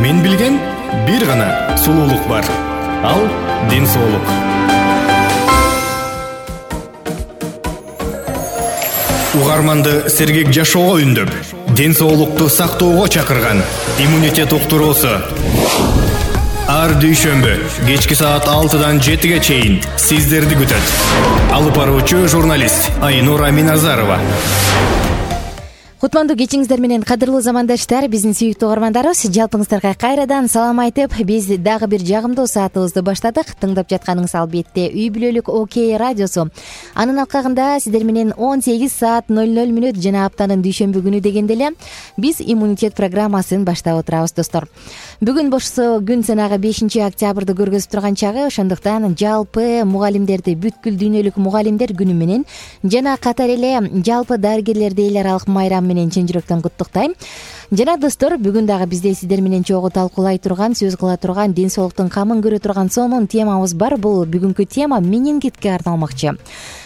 Мен билген бир гана сулуулук бар. Ал ден соолук. Угарманды сергек жашоого үндөп, ден соолукту сактоого чакырган иммунитет уктуруусу. Ар дүйшөмбү кечки саат 6-дан 7-ге чейин сиздерди күтөт. Алып баруучу журналист Айнура Миназарова. Кутмандуу кечиңиздер менен кадырлуу замандаштар, биздин сүйүктүү угармандарыбыз, жалпыңыздарга кайрадан салам айтып, биз дагы бир жагымдуу саатыбызды баштадык. Тыңдап жатканыңыз албетте Үй бүлөлүк ОК радиосу. Анын алкагында сиздер менен 18 саат 00 мүнөт жана аптанын дүйшөмбү күнү дегенде эле биз иммунитет программасын баштап отурабыз, достор. Бүгүн болсо күн санагы 5-октябрды көргөзүп турган чагы, ошондуктан жалпы мугалимдерди, бүткүл дүйнөлүк мугалимдер күнү менен жана катар эле жалпы дарыгерлерди эл аралык майрам менен чын жүрөктөн куттуктайм. Жана достор, бүгүн дагы бизде сиздер менен чогуу талкуулай турган, сөз кыла турган, ден соолуктун камын көрө турган сонун темабыз бар. Бул бүгүнкү тема менингитке арналмакчы.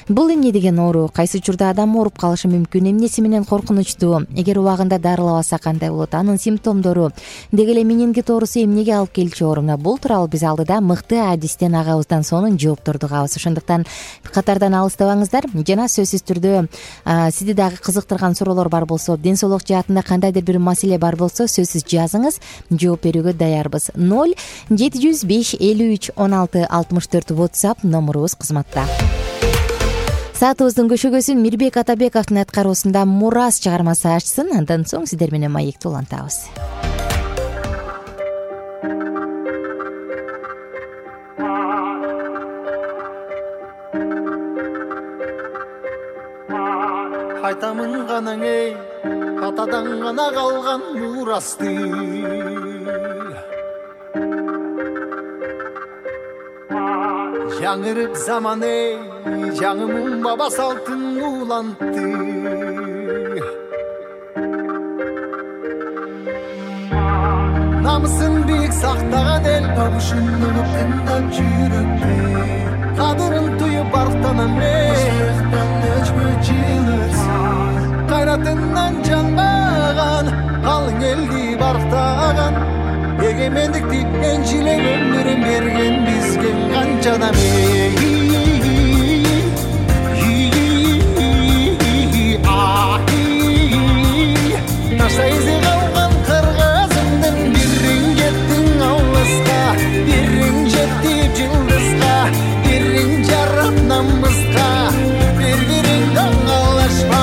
Бул эмне деген оору? Кайсы учурда адам ооруп калышы мүмкүн? Эмнеси менен коркунучтуу? Эгер убагында дарылабаса кандай болот? Анын симптомдору, деги эле менингит оорусу эмнеге алып келчү ооруна? Бул тууралуу биз алдыда мыкты адистен агабыздан сонун жоопторду угабыз. Ошондуктан катардан алыстабаңыздар. Жана сөзсүз түрдө сизди дагы кызыктырган суроолор бар болсо, ден соолук жаатында кандайдыр бир маселе бар болсо, сөзсүз жазыңыз, жооп берүүгө даярбыз. 0-705 53 16 64 WhatsApp номурубуз кызматта. Саатыбыздын көшөгөсүн Мирбек Атабековдун аткаруусунда Мурас чыгармасы ачсын, андан соң сиздер менен маекти улантабыз. Айтамын гана эй, атадан гана калган мурасты. Жаңырып заман эй, жаңымын баба салтын улантты. Намысын бийик сактаган эл, табышынып тыңдап жүрөкпү. Кадырын туюп барктанам эй, кайратынан жанбаган, калың элди барктаган, эгемендикти энчилеп өмүрүн берген бизге канча адам Ташта изи калган кыргызымдын бириң жеттиң алыска, бириң жетти жылдызга, бириң жарап намыска, бириң даңалашпа.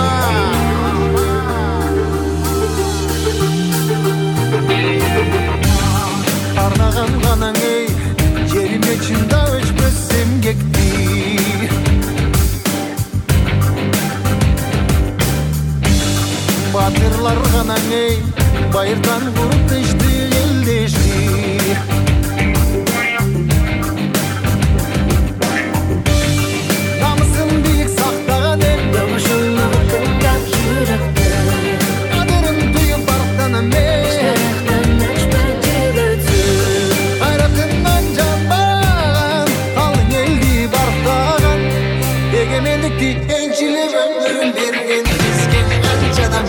Арнаган ганаң эй, жериме чында өчпөс эмгекти. Батырлар ганаң эй, байырдан куруп тынчты элдешти. Намысын бийик сактаган эл, табышынып тыңдап жүрөкпү. Кадырын туюп барктанам эй, эгемендикти энчилеп өмүрүн берген бизге канча адам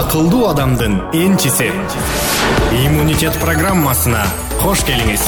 акылдуу адамдын энчиси. Иммунитет программасына кош келиңиз.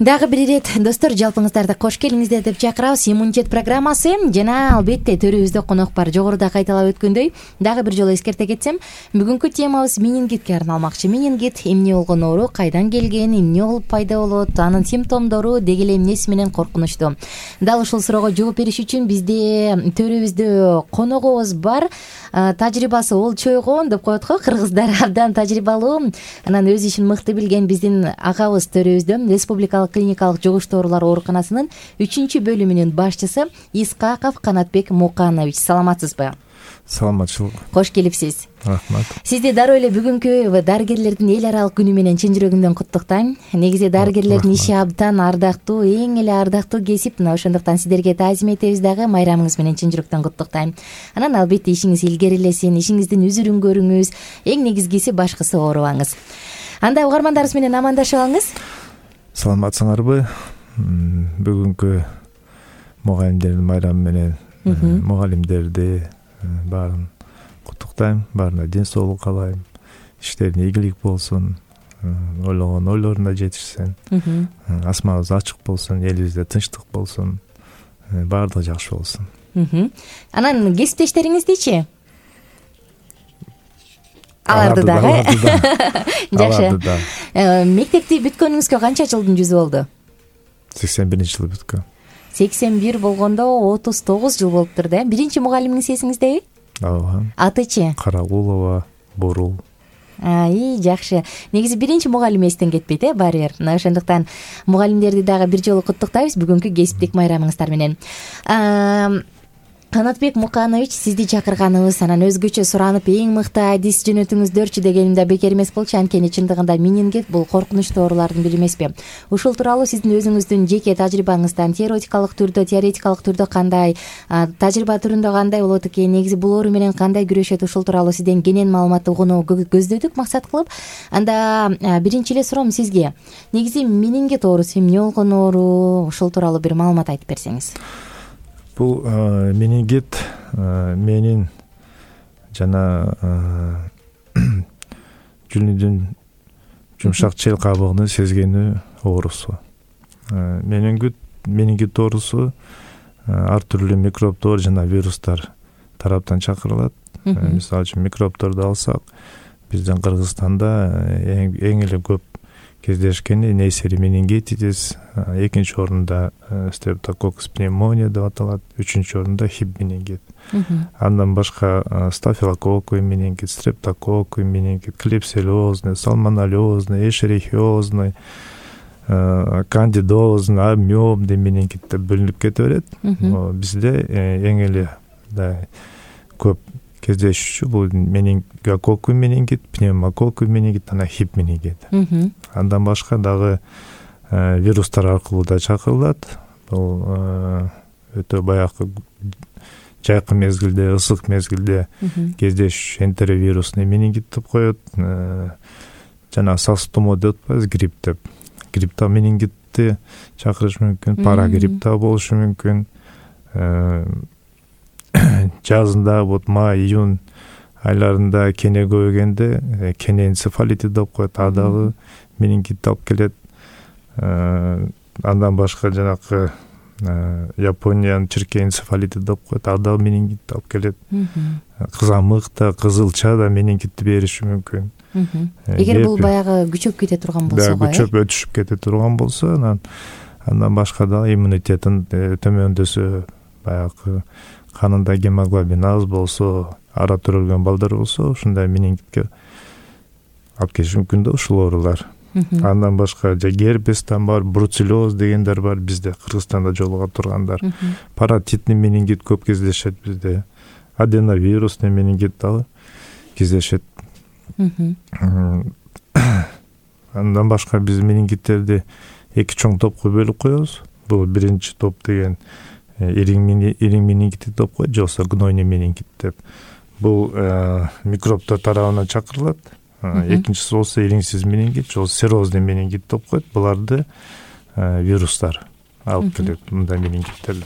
Дагы бир ирет достор, жалпыңыздарды кош келиңиздер деп чакырабыз. Иммунитет программасы жана албетте төрүбүздө конок бар. Жогоруда кайталап өткөндөй дагы бир жолу эскерте кетсем, бүгүнкү темабыз менингитке арналмакчы. Менингит эмне болгон оору, кайдан келген, эмне болуп пайда болот, анын симптомдору деги эле эмнеси менен коркунучтуу. Дал ушул суроого жооп бериш үчүн бизде төрүбүздө коногубуз бар. Тажрыйбасы олчойгон деп коет го кыргыздар, абдан тажрыйбалуу. Анан өз ишин мыкты билген биздин агабыз төрүбүздө республикалык клиникалык жугуштуу оорулар ооруканасынын 3 бөлүмүнүн башчысы Исхаков Канатбек Муканович. Саламатсызбы? Саламатчылык. Кош келипсиз. Рахмат. Сизди дароо эле бүгүнкү дарыгерлердин эл аралык күнү менен чын жүрөгүмдөн куттуктайм. Негизи дарыгерлердин иши абдан ардактуу, эң эле ардактуу кесип. Мына ошондуктан сиздерге таазим этебиз дагы, майрамыңыз менен чын жүрөктөн куттуктайм. Анан албетте ишиңиз илгерилесин, ишиңиздин үзүрүн көрүңүз, эң негизгиси башкысы оорубаңыз. Анда угармандарыбыз менен амандашып алыңыз. Саламатсыңарбы? Бүгүнкү мугалимдердин майрамы менен мугалимдерди баарын куттуктайм. Баарына ден соолук каалайм. Иштерине ийгилик болсун. Ойлогон ойлоруна жетишсин. Асманыбыз ачык болсун, элибизде тынчтык болсун. Баардыгы жакшы болсун. Анан кесиптештериңиздичи? Аларды дагы. Жакшы. Мектепти бүткөнүңүзгө канча жылдын жүзү болду? 81-жылы бүткөн. 81 болгондо 39 жыл болуптур да. Биринчи мугалимиңиз эсиңиздеби? Ооба. Атычы? Карагулова Бурул. Жакшы. Негизи биринчи мугалим эстен кетпейт, баары бир. Мына ошондуктан мугалимдерди дагы бир жолу куттуктайбыз бүгүнкү кесиптик майрамыңыздар менен. Канатбек Муканович, сизди чакырганыбыз, анан өзгөчө суранып эң мыкты адис жөнөтүңүздөрчү дегеним да бекер эмес болчу. Анткени чындыгында менингит бул коркунучтуу оорулардын бири эмеспи? Ушул тууралуу сиздин өзүңүздүн жеке тажрыйбаңыздан теоретикалык түрдө кандай, тажрыйба түрүндө кандай болот экен, негизи бул оору менен кандай күрөшөт, ушул тууралуу сизден кенен маалымат угууну көздөдүк максат кылып. Анда биринчи эле суроом сизге. Негизи менингит оорусу эмне болгон оору, ушул тууралуу бир маалымат айтып берсеңиз. Бул менингит менин жана жүнүдүн жумшак чел кабыгынын сезгенүү оорусу. Менингит оорусу ар түрдүү микробдор жана вирустар тараптан чакырылат. Мисалы үчүн микробдорду алсак, биздин Кыргызстанда эң эле көп кездешкени нейсери менингитис, экинчи орунда стрептококкус пневмония деп аталат, үчүнчү орунда хиб менингит. Андан башка стафилококкус менингит, стрептококкус менингит, клепсиозный, сальмонеллезный, эшерихиозный, кандидозный, амебный менингит деп бөлүнүп кете берет. Бизде эң эле көп кездешүүчү бул менингококкус менингит, пневмококкус менингит, анан хиб менингит. Андан башка дагы вирустар аркылуу да чакырылат. Бул өтө баягы жайкы мезгилде, ысык мезгилде кездешүүчү энтеровирусный менингит деп коет. Жана сас тумоо деп атпайбыз, грипп деп. Гриппта менингитти чакырыш мүмкүн, парагриппта болушу мүмкүн. Жазында вот май-июнь айларында кене көбөйгөндө кене энцефалити деп коет, дагы менингит алып келет. Андан башка жанакы Япониянын чирке энцефалити деп коет, дагы менингит алып келет. Кызамык да, кызылча да менингитти бериши мүмкүн. Эгер бул баягы күчөп кете турган болсо, күчөп өтүшүп кете турган болсо, андан башка дагы иммунитетин төмөндөсө, баягы канында гемоглобин аз болсо, ара төрөлгөн балдар болсо, ушундай менингитке алып келиши мүмкүн да ушул оорулар. Андан башка герпестен бар, бруцеллез дегендер бар бизде, Кыргызстанда жолуга тургандар. Паратитный менингит көп кездешет бизде. Аденовирусный менингит дагы кездешет. Андан башка биз менингиттерди эки чоң топко бөлүп коебуз. Бул биринчи топ деген ириң менингит деп коет, же болбосо гнойный менингит деп. Бул микробтор тарабынан чакырылат. Экинчиси болсо ириңсиз менингит, же серозный менингит деп коет. Буларды вирустар алып келет мындай менингиттерди.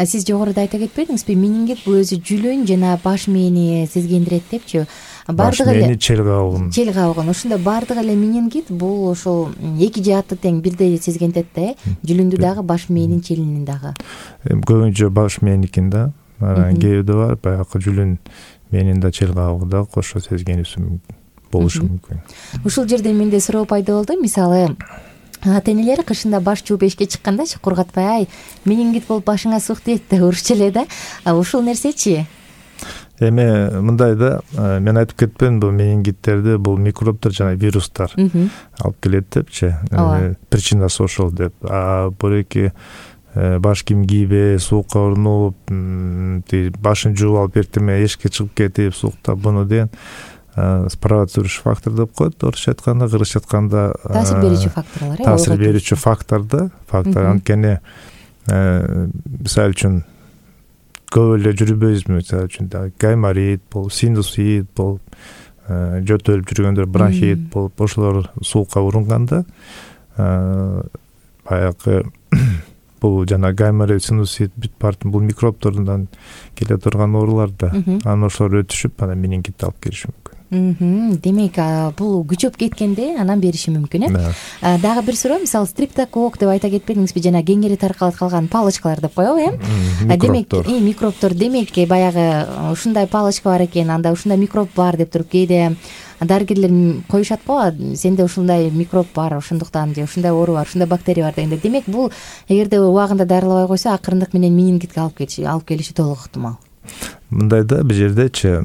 Сиз жогоруда айта кетпедиңизби, менингит бул өзү жүлүн жана баш мээни сезгендирет депчи. Баш мээни чел кабыгын ошондо баардык эле менингит бул ошол эки жааты тең бирдей сезгентет да, жүлүндү дагы баш мээнин челинин дагы. Көбүнчө баш мээникин да, анан кээде бар баягы жүлүн мээнин да чел кабыгы да кошо сезгенүүсү болушу мүмкүн. Ушул жерден менде суроо пайда болду. Мисалы, ата энелер кышында баш жууп эшикке чыккандачы кургатпай, ай менингит болуп башыңа сук тиет деп урушчу эле да. Ушул нерсечи? Эми мындай да, мен айтып кетпедимби, бул менингиттерди бул микробдор жана вирустар алып келет депчи. Причинасы ошол деп. Буреки баш кийим кийбей, суукка урунуп, башын жууп алып эртеме эшикке чыгып кетип, суукта буну деген спровоцирующий фактор деп коет орусча айтканда, кыргызча айтканда таасир берүүчү факторлор. Таасир берүүчү фактор. Анткени мисалы үчүн көп эле жүрбөйбүзбү, мисалы үчүн гайморит болуп, синусит болуп, жөтөлүп жүргөндөр бронхит болуп, ошолор суукка урунганда баягы бул жана гайморит, синусит бул микробдордон келе турган оорулар да. Анан ошолор өтүшүп, анан менингит алып келиши мүмкүн. Демек, бул күчөп кеткенде анан бериши мүмкүн, Дагы бир суроо, мисалы, стриптокок деп айта кетпедиңизби, жана кеңири таркалып калган палочкалар деп коебу, Демек, микробдор, демек, баягы ушундай палочка бар экен, анда ушундай микроб бар деп туруп кээде дарыгерлер коюшат го, сенде ушундай микроб бар, ошондуктан же ушундай оору бар, ушундай бактерия бар дегенде. Демек, бул эгерде убагында дарылабай койсо, акырындык менен менингитке алып келиши толук ыктымал. Мындай да, бул жердечи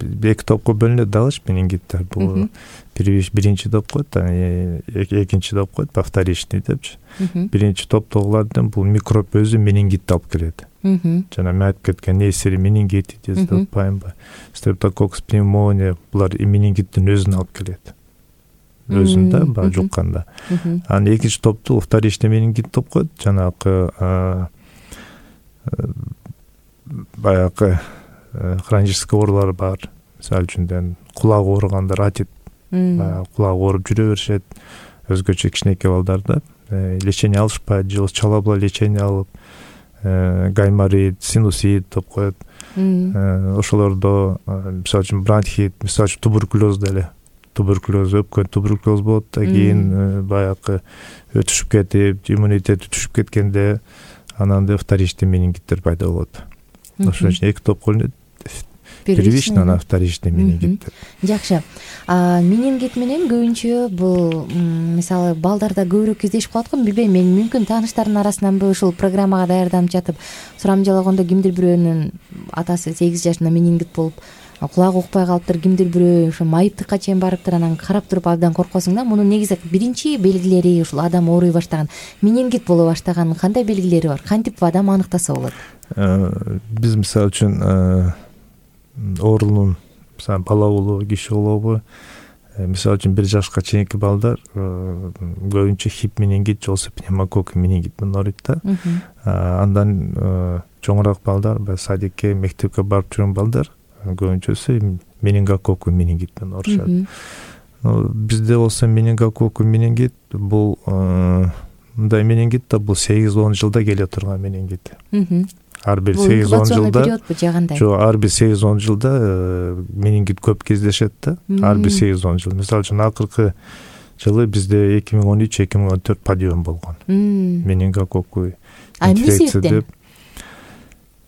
эки топко бөлүнөт дагычы менингиттер. Бул биринчи топ коет, экинчи топ коет, вторичный депчи. Биринчи топтогулардан бул микроб өзү менингитти алып келет. Жана мен айтып кеткен несири менингит деп атпаймынбы, стрептококкус пневмония, булар менингиттин өзүн алып келет. Өзүн да баягы жукканда. Анан экинчи топту вторичный менингит деп коет, жанагы баягы хронический оорулар бар. Мисалы үчүн кулак ооругандар, атит, кулак ооруп жүрө беришет. Өзгөчө кичинекей балдарда лечение алышпайт, же чалабла лечение алып, гайморит, синусит деп коет. Ошолордо мисалы үчүн бронхит, мисалы үчүн туберкулез деле. Туберкулез, өпкөн туберкулез болот да, кийин баягы өтүшүп кетип, иммунитет түшүп кеткенде анан вторичный менингиттер пайда болот. Ошон үчүн эки топко бөлүнөт. Первичный, анан вторичный менингит. Жакшы. Менингит менен көбүнчө бул мисалы балдарда көбүрөөк кездешип калат го, билбейм, мен мүмкүн тааныштардын арасынанбы ушул программага даярданып жатып сурамжалагондо кимдир бирөөнүн атасы 8 жашында менингит болуп кулагы укпай калыптыр, кимдир бирөө ошо майыптыкка чейин барыптыр, анан карап туруп абдан коркосуң да. Мунун негизи биринчи белгилери ушул адам ооруй баштаган, менингит боло баштаган кандай белгилери бар? Кантип адам аныктаса болот? Биз мисалы үчүн оорунун бала болобу, киши болобу, мисалы үчүн 1 жашка чейинки балдар көбүнчө хип менингит же болбосо пневмококк менингит менен ооруйт да. Андан чоңураак балдар, садикке, мектепке барып жүргөн балдар көбүнчөсү менингококк менингит менен оорушат. Бизде болсо менингококк менингит бул мындай менингит да, бул 8-10 жылда келе турган менингит. Ар бир 8-10 жылда, жок, ар бир 8-10 жылда менингит көп кездешет да. Ар бир 8-10 жыл. Мисалы үчүн акыркы жылы бизде 2013-2014 подъем болгон. Менингококк инфекция деп.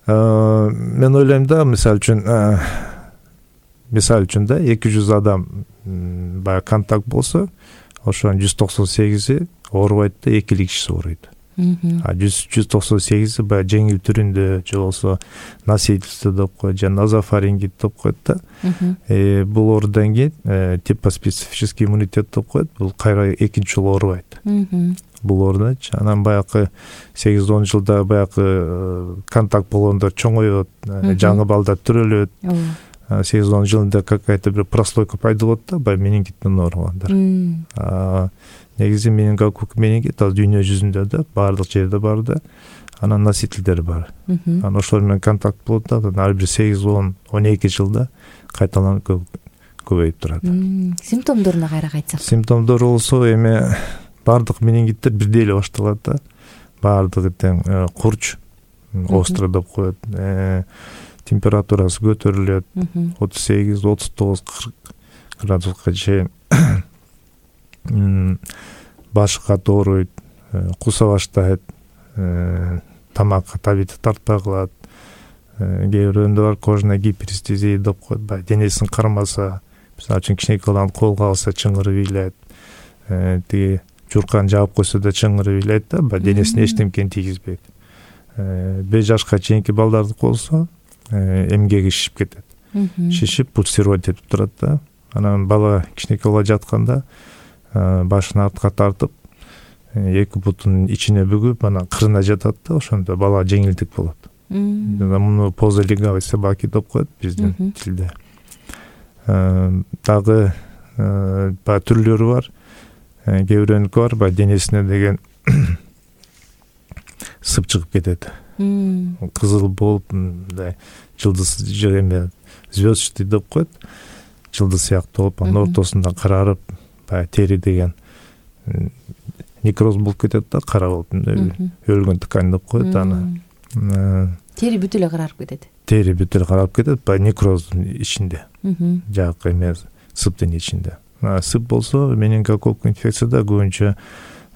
Мен ойлойм да, мисалы үчүн да 200 адам баягы контакт болсо, ошонун 198-и оорубайт да, 2 кишиси ооруйт. 198-и баягы жеңил түрүндө же болбосо носительство деп коет, же назофарингит деп коет да. Бул оорудан кийин типоспецифический иммунитет деп коет, бул кайра экинчи жолу оорубайт. Бул оорудачы. Анан баягы 8-10 жылда баягы контакт болгондор чоңойот, жаңы балдар төрөлөт. 8-10 жылында какая-то бир прослойка пайда болот да, баягы менингиттен ооругандар. Негизи менингококк менингит ал дүйнө жүзүндө да, баардык жерде бар да. Анан носительдери бар. Анан ошолор менен контакт болот да, ар бир 8-10-12 жылда кайталанып көбөйүп турат. Симптомдоруна кайра кайтсак. Симптомдору болсо эми баардык менингиттер бирдей эле башталат да. Баардыгы тең курч, остро деп коет. Температурасы көтөрүлөт 38, 39, 40 градуска чейин. Башы каты ооруйт, куса баштайт, тамакка табити тартпай калат. Кээ бирөөндө бар кожная гиперестезия деп коет. Баягы денесин кармаса, мисалы үчүн кичинекей баланы колго алса чыңгырып ыйлайт. Тиги журкан жаап койсо да чыңгырып ыйлайт да, баягы денесине эчтемкени тийгизбейт. 5 жашка чейинки балдардыкы болсо эмгеги шишип кетет. Шишип пульсировать этип турат да. Анан бала кичинекей бала жатканда башын артка тартып, эки бутун ичине бүгүп, анан кырына жатат да, ошондо бала жеңилдик болот. Муну поза легавой собаки деп коет биздин тилде. Дагы баягы түрлөрү бар. Кээ бирөөнүкү бар, баягы денесине деген сып чыгып кетет. Кызыл болуп, мындай жылдыз эме звездчатый деп коет. Жылдыз сыяктуу болуп, анын ортосунда карарып, баягы тери деген некроз болуп кетет да, кара болуп, өлгөн ткань деп коет аны. Тери бүт эле карарып кетет. Тери бүт эле карарып кетет, баягы некроздун ичинде. Жакы эме сыптын ичинде. Сып болсо, менингококк инфекцияда көбүнчө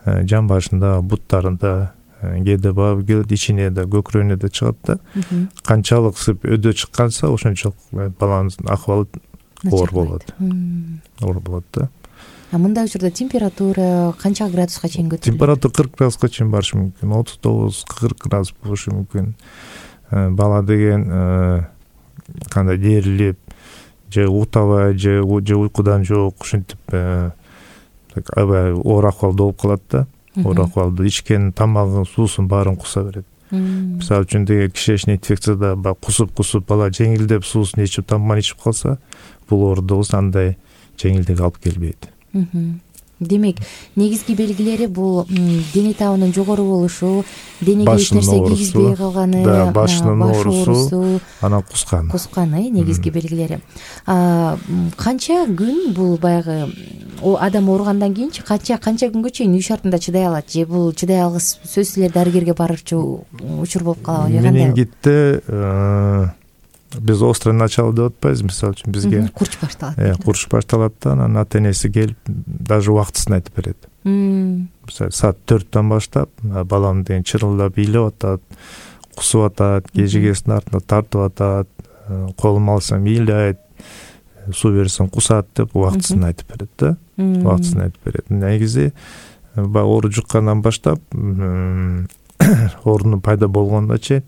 жан башында, буттарында, кээде баап келет, ичине да, көкүрөгүнө да чыгат да. Канчалык сып өдө чыкканса, ошончолук баланын акыбалы оор болот. Оор болот да. Мындай учурда температура канча градуска чейин көтөрүлөт? Температура 40 градуска чейин барышы мүмкүн. 39-40 градус болушу мүмкүн. Бала деген кандай дээрлип, же утабай, же уйкудан жок, ушинтип аябай оор акыбалда болуп калат да. Оор акыбалда ичкен тамагын, суусун баарын куса берет. Мисалы үчүн деген кишечный инфекцияда кусуп бала жеңилдеп суусун ичип, тамагын ичип калса, бул оорудубуз андай жеңилдик алып келбейт. Демек, негизги белгилери бул дене табынын жогору болушу, денеге эч нерсе кийгизбей калганы, башынын оорусу, анан кускан, негизги белгилери. Канча күн бул баягы адам ооругандан кийинчи канча күнгө чейин үй шартында чыдай алат? Же бул чыдай алгыс сөзсүз эле дарыгерге барырчу учур болуп калабы? Менингитте биз острое начало деп атпайбыз, мисалы үчүн бизге курч башталат. Курч башталат да, анан ата энеси келип даже убактысын айтып берет. Мисалы саат 4-төн баштап балам деген чырылдап ыйлап атат, кусуп атат, кежигесинин артына тартып атат, колум алсам ыйлайт, суу берсем кусат деп убактысын айтып берет да. Убактысын айтып берет. Негизи оору жуккандан баштап оорунун пайда болгонуна чейин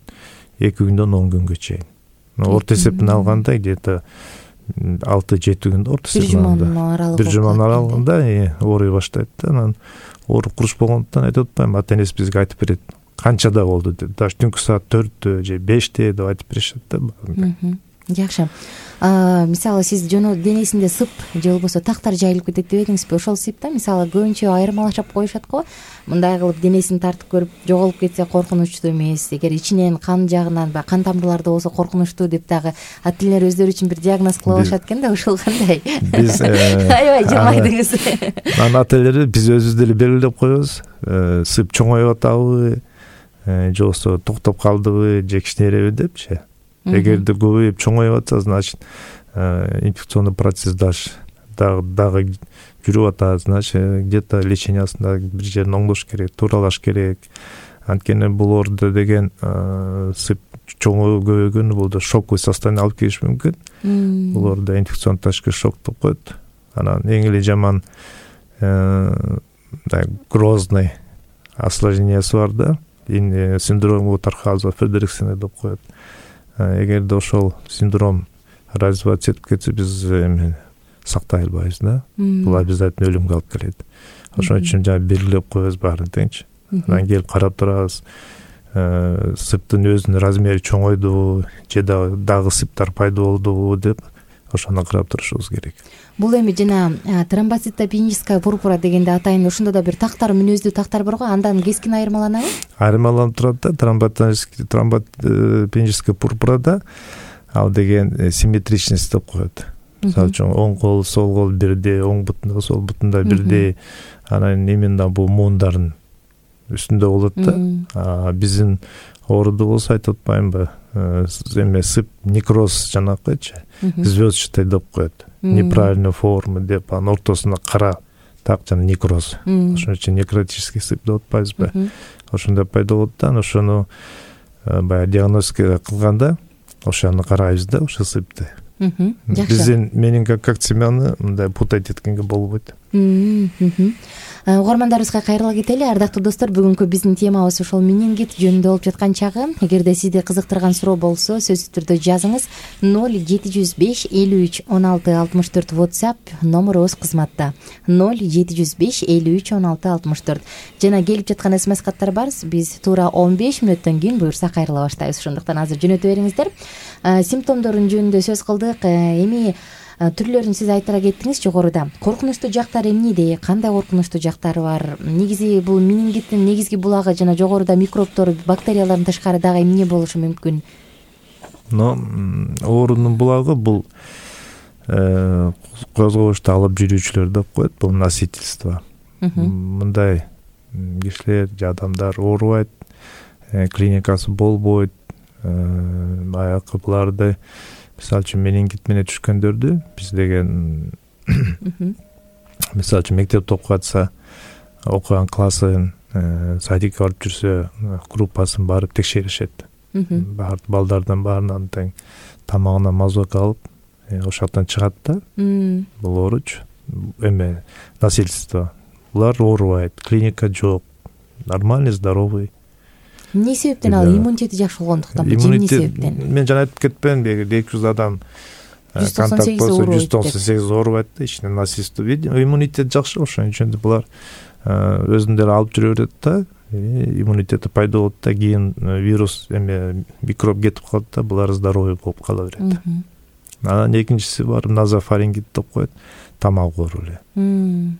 2 күндөн 10 күнгө чейин. Орто эсептен алганда где-то 6-7 күндө орто эсептен алганда. Бир жуманын аралыгында ооруй баштайт да. Анан оору курч болгондуктан айтып атпайм, ата энеси бизге айтып берет. Канчада болду деп. Даже түнкү саат 4 же 5 деп айтып беришет да. Жакшы. Мисалы сиз денесинде сып же болбосо тактар жайылып кетет дебедиңизби? Ошол сыпта мисалы көбүнчө айырмалашып коюшат го. Мындай кылып денесин тартып көрүп жоголуп кетсе коркунучтуу эмес, эгер ичинен кан жагынан кан тамырларда болсо коркунучтуу деп дагы ата энелер өздөрү үчүн бир диагноз кылып алышат экен да, ошол кандай? Биз аябай жылмайдыңыз. Анан ата энелер биз өзүбүз деле белгилеп коебуз. Сып чоңоюп атабы, же болбосо токтоп калдыбы, же кичинейреби депчи. Эгерде көбөйүп чоңоюп атса, значит инфекционный процесс дагы жүрүп атат, значит где-то лечениясында бир жерин оңдош керек, тууралаш керек. Анткени бул ооруда деген сып чоңоюп көбөйгөнү бул да шоковый состояние алып келиши мүмкүн. Бул ооруда инфекционный тачкы шок деп коет. Анан эң эле жаман грозный осложнениясы бар да. Синдром Гутархауза-Фредериксена деп коет. Эгерде ошол синдром развиваться этип кетсе, биз сактай албайбыз да. Бул обязательно өлүмгө алып келет. Ошон үчүн белгилеп коебуз баарын теңчи. Анан келип карап турабыз. Сыптын өзүнүн размери чоңойдубу, же дагы сыптар пайда болдубу деп ошону карап турушубуз керек. Бул эми жана тромбоцитопеническая пурпура дегенде атайын ошондо да бир тактар, мүнөздүү тактар бар го, андан кескин айырмаланабы? Айырмаланып турат да. Тромбоцитопеническая пурпурада ал деген симметричность деп коет. мисалы үчүн оң кол сол кол бирдей, оң бутунда сол бутунда бирдей, анан именно бул муундардын үстүндө болот да. Биздин ооруду болсо айтып атпаймынбы, эме сып некроз жанакычы, звездчатый деп коет, неправильная форма деп, анын ортосунда кара так жана некроз, ошон үчүн некротический сып деп атпайбызбы, ошондой пайда болот да. Ошону баягы диагностика кылганда ошону карайбыз да, ошо сыпты. Биздин менингокок семяны мындай путать эткенге болбойт. Угармандарыбызга кайрыла кетели. Ардактуу достор, бүгүнкү биздин темабыз ошол менингит жөнүндө болуп жаткан чагы. Эгерде сизди кызыктырган суроо болсо, сөзсүз түрдө жазыңыз. 0705 53 16 64 WhatsApp номерубуз кызматта. 0705 53 16 64. Жана келип жаткан SMS каттар бар. Биз туура 15 мүнөттөн кийин буюрса кайрыла баштайбыз. Ошондуктан азыр жөнөтө бериңиздер. Симптомдорун жөнүндө сөз кылдык. Эми түрлөрүн сиз айтыра кеттиңиз жогоруда. Коркунучтуу жактары эмнеде? Кандай коркунучтуу жактары бар? Негизи бул менингиттин негизги булагы жана жогоруда микробтор, бактериялардан тышкары дагы эмне болушу мүмкүн? Оорунун булагы бул козгобушту алып жүрүүчүлөр деп коет, бул носительство. Мындай кишилер же адамдар оорубайт, клиникасы болбойт, баягы буларды мисалы үчүн менингит менен түшкөндөрдү биз деген мисалы үчүн мектепте окуп атса, окуган классын, садикке барып жүрсө, группасын барып текшеришет. Балдардан баарынан тең тамагына мазок алып, ошоктон чыгат да. Бул ооручу эме насильство. Булар оорубайт, клиника жок, нормальный, здоровый. Эмне себептен ал иммунитети жакшы болгондуктанбы? Эмне себептен? Мен жана айтып кетпедимби, 200 адам контакт болсо 198 оорубайт да, ичинен насильство. Иммунитет жакшы, ошон үчүн булар өзүндөрү алып жүрө берет да, иммунитети пайда болот да, кийин вирус эме микроб кетип калат да, булар здоровый болуп кала берет. Анан экинчиси бар, назофарингит деп коет, тамак оору эле.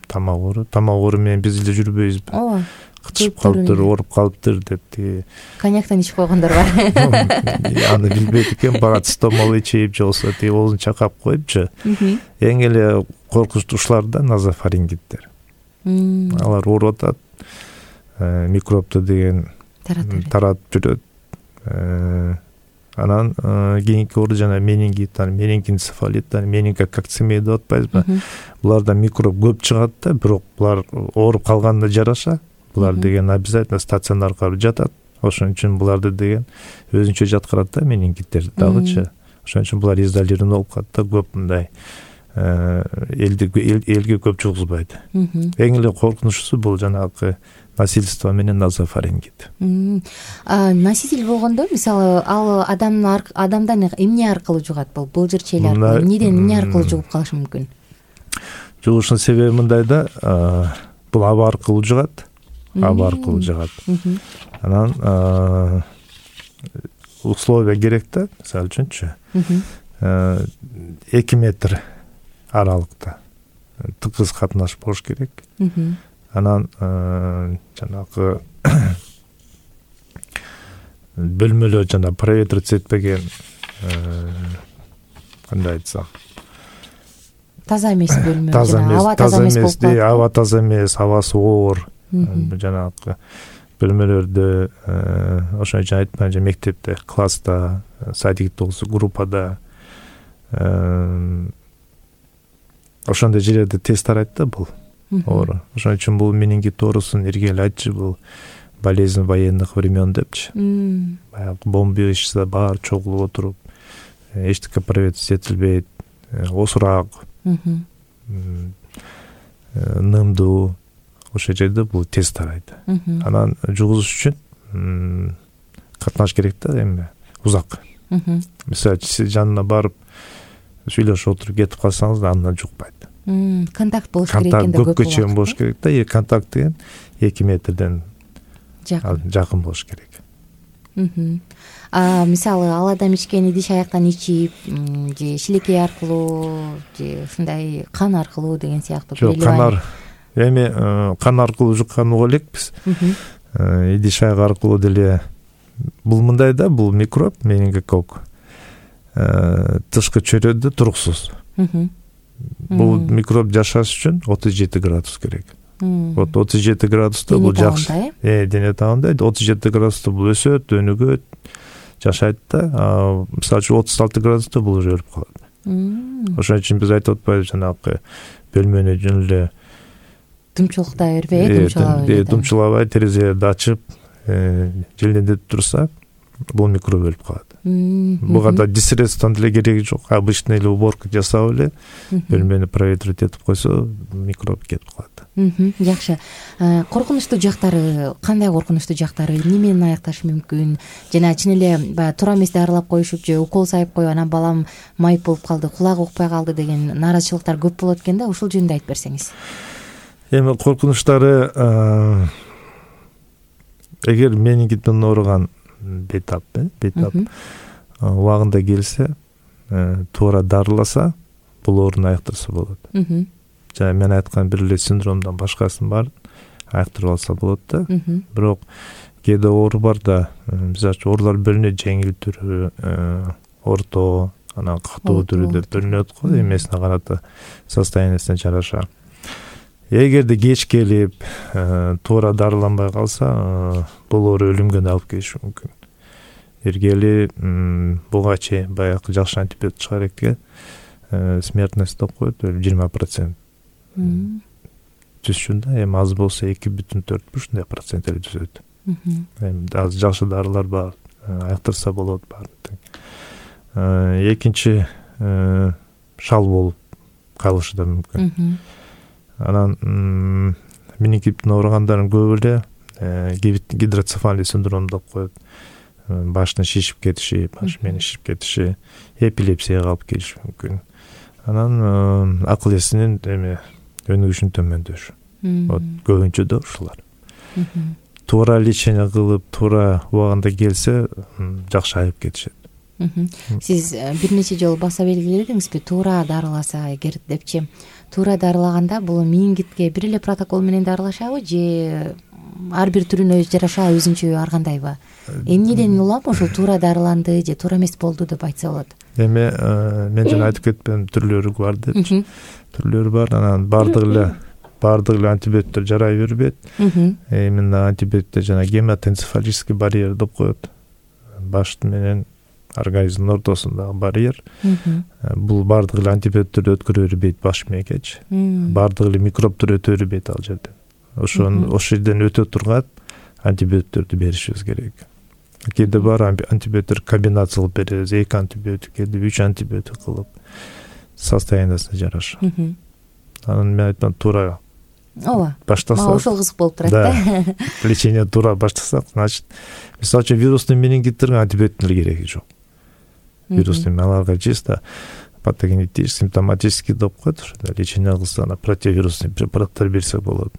Тамак оору менен биз эле жүрбөйбүзбү? Ооба. Кычып калыптыр, ооруп калыптыр деп тиги. Коньяктан ичип койгондор бар. Аны билбейт экен, барат стомал ичип же болсо тиги оозун чакап коюпчу. Эң эле коркунучтуу ушулар да, назофарингиттер. Алар ооруп атат, микробду деген таратып жүрөт. Анан кийинки оору жана менингит, менингоэнцефалит, менингококцемия деп атпайбызбы? Буларда микроб көп чыгат да, бирок булар ооруп калганда жараша. Булар деген обязательно стационарга жатат. Ошон үчүн буларды деген өзүнчө жаткырат да, менингиттер дагычы. Ошон үчүн булар изолирован болуп калат да, көп мындай элге көп жугузбайт. Эң эле коркунучтуусу бул жанагы насильство менен назофарингит. Носитель болгондо, мисалы, ал адамдан эмне аркылуу жугат? Бул былжырчел аркылуу, эмнеден эмне аркылуу жугуп калышы мүмкүн? Жугушунун себеби мындай да, бул аба аркылуу жугат. Анан условия керек да, мисалы үчүнчү 2 метр аралыкта тыгыз катнаш болуш керек. Анан жанагы бөлмөлөр жана проветриться этпеген, кандай айтсам, таза эмес бөлмө, аба таза эмес болуп калат. Аба таза эмес, абасы оор жанагы бөлмөлөрдө, ошон үчүн айтпайм, мектепте, класста, садикте болсо, группада, ошондой жерлерде тез тарайт да бул оору. Ошон үчүн бул менингит оорусун эргели айтчу, бул болезнь военных времен депчи. Баягы бомбище баар чогулуп отуруп, эчтеке проветриться этилбейт, осурак, нымдуу, ошол жерде бул тез тарайт. Анан жугузуш үчүн катнаш керек да, эми узак. Мисалы, сиз жанына барып сүйлөшүп отуруп кетип калсаңыз да, андан жукпайт. Контакт болуш керек экен да, көпкө чейин болуш керек да, контакт деген 2 метрден жакын болуш керек. Мисалы, ал адам ичкен идиш аяктан ичип, же шилекей аркылуу, же ушундай кан аркылуу деген сыяктуу. Жок, кан аркылуу жуккан угу элекпиз. Идиш аяк аркылуу деле бул мындай да, бул микроб, менингокок тышкы чөйрөдө туруксуз. Бул микроб жашаш үчүн 37 градус керек. Вот 37 градуста бул жакшы. Дене табында 37 градуста бул өсөт, өнүгөт, жашайт да. Мисалы үчүн 36 градуста бул уже өлүп калат. Ошон үчүн биз айтып атпайбыз, жанагы бөлмөнү жөн эле дымчылыктай бербей, дымчылабай, терезелерди ачып, желдетип турса, бул микроб өлүп калат. Буга да диссредствонун деле кереги жок. Обычный эле уборка жасап эле бөлмөнү проветривать этип койсо, микроб кетип калат. Жакшы. Коркунучтуу жактары, кандай коркунучтуу жактары, эмне менен аякташы мүмкүн? Жана чын эле баягы туура эмес дарылап коюшуп же укол сайып коюп, анан балам майып болуп калды, кулагы укпай калды деген нааразычылыктар көп болот экен да, ушул жөнүндө айтып берсеңиз. Эми коркунучтары, эгер менингит менен ооруган бейтап убагында келсе, туура дарыласа, бул оорууну аяктырса болот. Жана мен айткан бир эле синдромдон башкасын бар аяктырып алса болот да. Бирок кээде оору бар да, мисалы үчүн оорулар бөлүнөт, жеңил түрү, орто, анан катуу түрү деп бөлүнөт го, эмесине карата, состояниясына жараша. Эгерде кеч келип, туура дарыланбай калса, бул оору өлүмгө алып келиши мүмкүн. Эргели буга чейин баягы жакшы антибиотик чыгарекке смертность деп коет 20%. Түшүн да, эми аз болсо 2,4 ушундай процент эле түзөт. Эми аз жакшы дарылар бар, аяктырса болот бар. Экинчи шал болуп калышы да мүмкүн. Анан менингиттин ооругандардын көбү эле гидроцефалий синдрому деп коет. Баштын шишип кетиши, баш менин шишип кетиши, эпилепсияга алып келиши мүмкүн. Анан акыл эсинин эми өнүгүшүн төмөндөшү. Вот көбүнчө да ушулар. Туура лечение кылып, туура убагында келсе, жакшы айып кетишет. Сиз бир нече жолу баса белгиледиңизби, туура дарыласа эгер депчи, туура дарылаганда бул менингитке бир эле протокол менен дарылашабы же ар бир түрүнө жараша өзүнчө ар кандайбы? Эмнеден улам ушул туура дарыланды же туура эмес болду деп айтса болот? Эми мен жана айтып кетпедим, түрлөрү бар депчи. Түрлөрү бар, анан бардык эле антибиотиктер жарай бербейт. Именно антибиотиктер жана гематоэнцефалический барьер деп коет. Баш менен организмдин ортосундагы барьер. Бул бардык эле антибиотиктерди өткөрө бербейт баш мээкечи. Бардык эле микробдор өтө бербейт ал жерден. Ошо жерден өтө турган антибиотиктерди беришибиз керек. Кээде бар антибиотиктер комбинациялап беребиз, 2 антибиотик, 3 антибиотик кылып, состояниясына жараша. Анан мен айтам, туура баштаса. Ошол кызык болуп турат да. Лечение туура баштасак, значит, мисалы үчүн вирусный менингиттерге антибиотиктин кереги жок. Вирусный аларга чисто патогенетический, симптоматический деп коет, ошондо лечение кылса, противирусный препараттар берсе болот.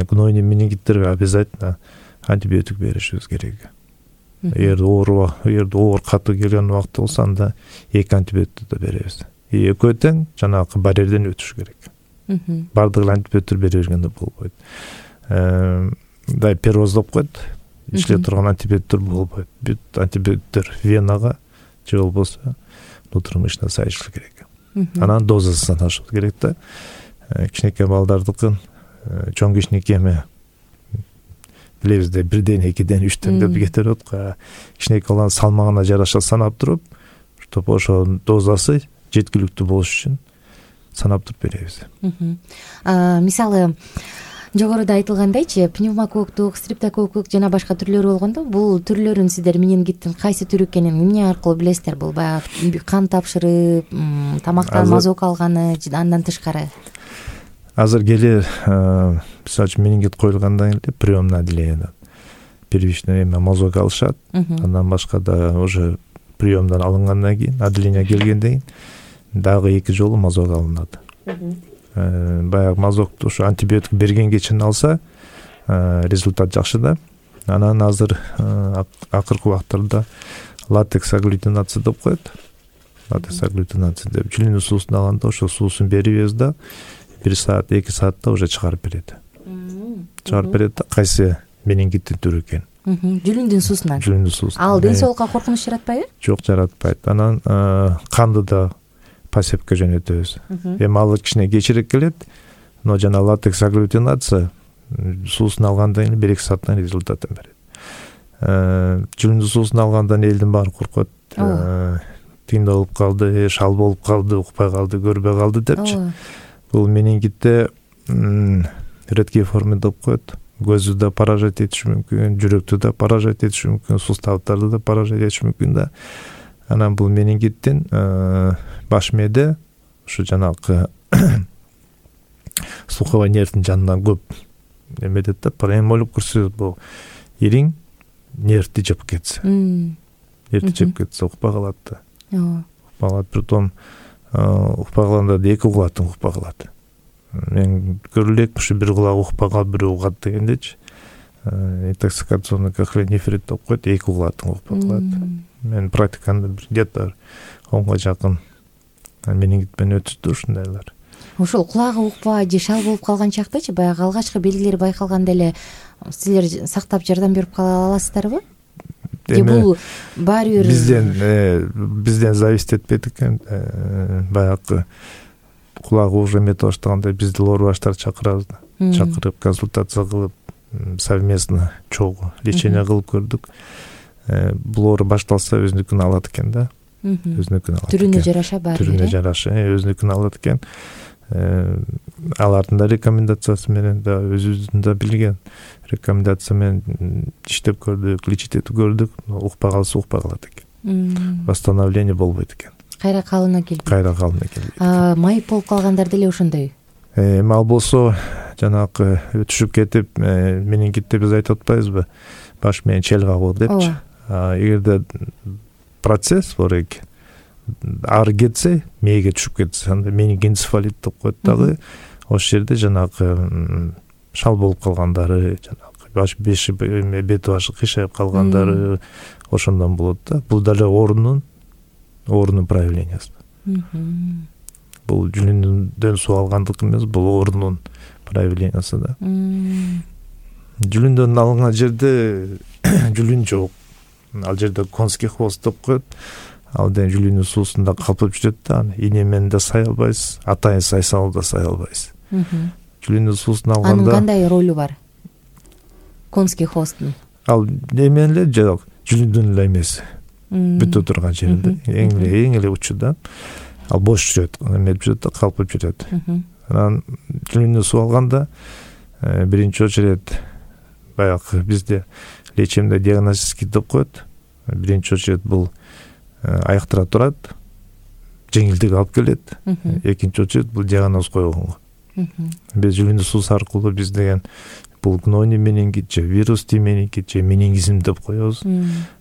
Гнойный менингиттерге обязательно антибиотик беришибиз керек. Эгер оор катуу келген убакта болсо, анда 2 антибиотикти да беребиз. Экөө тең жанагы барьерден өтүш керек. Бардык эле антибиотиктер бере бергенде болбойт. Пероз деп коет, иштеп турган антибиотиктер болбойт. Бүт антибиотиктер венага же болбосо внутрымышечно сайышы керек. Анан дозасын ашыш керек да. Кичинекей балдардыкын, чоң кичинекей эми билебиз да, 1ден 2ден 3ден деп кетерет го. Кичинекей баланын салмагына жараша санап туруп, чтобы ошо дозасы жеткиликтүү болуш үчүн санап туруп беребиз. Мисалы, жогоруда айтылгандайчы, пневмококктук, стрептококктук жана башка түрлөрү болгондо, бул түрлөрүн сиздер менингиттин кайсы түрү экенин эмне аркылуу билесиздер? Бул баягы кан тапшырып, тамактан мазок алганы, андан тышкары? Азыр келе, мисалы үчүн менингит коюлгандан кийин приемное отделение, первичный мазок алышат, андан башка да уже приемдан алынгандан кийин, отделение келгенден кийин дагы 2 жолу мазок алынат. Баягы мазокту ушу антибиотик бергенге чейин алса, результат жакшы да. Анан азыр акыркы убактарда латекс агглютинация деп коет. Латекс агглютинация деп жилинин суусун алганда, ошо суусун беребиз да, 1 саат, 2 саатта уже чыгарып берет. Чыгарып берет да, кайсы менингиттин түрү экен. Жүлүндүн суусунан. Жүлүндүн суусунан. Ал ден соолукка коркунуч жаратпайбы? Жок, жаратпайт. Анан канды да посевке жөнөтөбүз. Эми ал кичине кечирээк келет, но жана латекс агглютинация суусун алгандан кийин 1-2 сааттан результатын берет. Жүлүндү суусун алгандан элдин баары коркот. Тиңде болуп калды, шал болуп калды, укпай калды, көрбөй калды депчи. Бул менингитте редкий форма деп коет. Көздү да поражать этиши мүмкүн, жүрөктү да поражать этиши мүмкүн, суставдарды да поражать этиши мүмкүн да. Анан бул менингиттин баш мээде ушу жанагы слуховой нервдин жанынан көп эметет да, эми ойлоп көрсөңүз, бул ириң нервди жеп кетсе. Нервди жеп кетсе укпай калат да. Укпай калат, притом укпай калганда да эки кулактан укпай калат. Мен көрүлөк ушу бир кулагы укпай калып, бирөө угат дегендечи. Интоксикационный кахлонефрит деп коет, эки кулактан укпай калат. Мен практикамда где-то 10га жакын менингит менен өтүштү ушундайлар. Ошол кулагы укпай же шал болуп калган чактачы баягы алгачкы белгилери байкалганда эле силер сактап жардам берип кала аласыздарбы? Же бул баары бир бизден зависит этпейт экен. Баягы кулагы уже эмете баштаганда бизди лор-баштар чакырабыз да. Чакырып консультация кылып, совместно чогуу лечение кылып көрдүк. Бул оору башталса өзүнүкүн алат экен да. Өзүнүкүн алат. Түрүнө жараша баары. Түрүнө жараша өзүнүкүн алат экен. Алардын да рекомендациясы менен да, өзүбүздүн да билген рекомендация менен иштеп көрдүк, лечить этип көрдүк. Укпай калса укпай калат экен. Восстановление болбойт экен. Кайра калына келбейт. Кайра калына келбейт. Майып болуп калгандар деле ошондой. Эми ал болсо жанагы өтүшүп кетип, менингитте биз айтып атпайбызбы? Баш менен чел кагуу депчи. Эгерде процесс бар экен, ары кетсе, мээге түшүп кетсе, анда менингенцефалит деп коет дагы. Ошол жерде жанагы шал болуп калгандары, жанагы баш беши бет башы кыйшайып калгандары ошондон болот да. Бул деле оорунун проявлениясы. Бул жүлүндөн суу алгандык эмес, бул оорунун проявлениясы да. Жүлүндөн алынган жерде жүлүн жок. Ал жерде конский хвост деп коет. Ал ден жүлүнүн суусунда калпып жүрөт да. Ине менен да сай албайсыз, атайын сайсал да сай албайсыз. Жүлүнүн суусун алганда анын кандай ролу бар? Конский хвосттун. Ал эмен эле жок, жүлүндүн эле эмеси. Бүтө турган жеринде, эң эле учу да. Ал бош жүрөт, эмет жүрөт да, калпып жүрөт. Анан жүлүнүн суу алганда биринчи очередь баягы бизде лечимде диагностический деп коет. Биринчи очередь бул аяктыра турат, жеңилдик алып келет. Экинчи очередь бул диагноз койгонго. Биз жүлүнүн суусу аркылуу биз деген бул гнойный менингит же вирусный менингит же менингизм деп коебуз.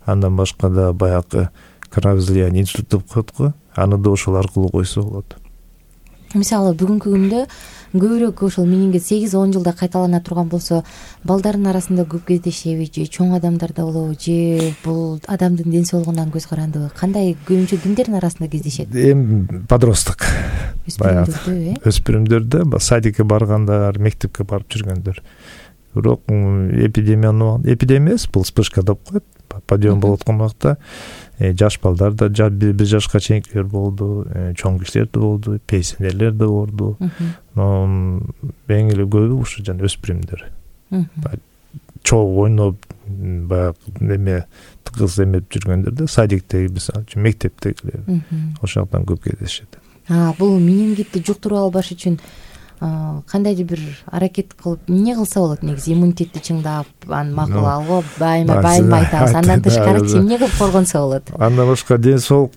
Андан башка да баягы кровоизлияние инсульт деп коет го. Аны да ошол аркылуу койсо болот. Мисалы бүгүнкү күндө көбүрөөк ошол менингит 8-10 жылда кайталана турган болсо, балдардын арасында көп кездешеби же чоң адамдарда болобу же бул адамдын ден соолугунан көз карандыбы? Кандай көбүнчө кимдердин арасында кездешет? Эми подросток. Баягы өспүрүмдөрдө, садикке баргандар, мектепке барып жүргөндөр. Бирок эпидемия бул вспышка деп коет. Подъем болуп аткан убакта жаш балдар да, 1 жашка чейинкилер болду, чоң кишилер да болду, пенсионерлер да болду. Но эң эле көбү ушу жана өспүрүмдөр. Чогуу ойноп, баягы неме тыгыз эмеп жүргөндөр да, садиктеги, мисалы үчүн мектептегилер. Ошол жактан көп кездешет. Бул менингитти жуктуруп албаш үчүн кандайдыр бир аракет кылып, эмне кылса болот негизи? Иммунитетти чыңдап, аны макул алго, байма айтабыз. Андан тышкары эмне кылып коргонсо болот? Андан башка ден соолук,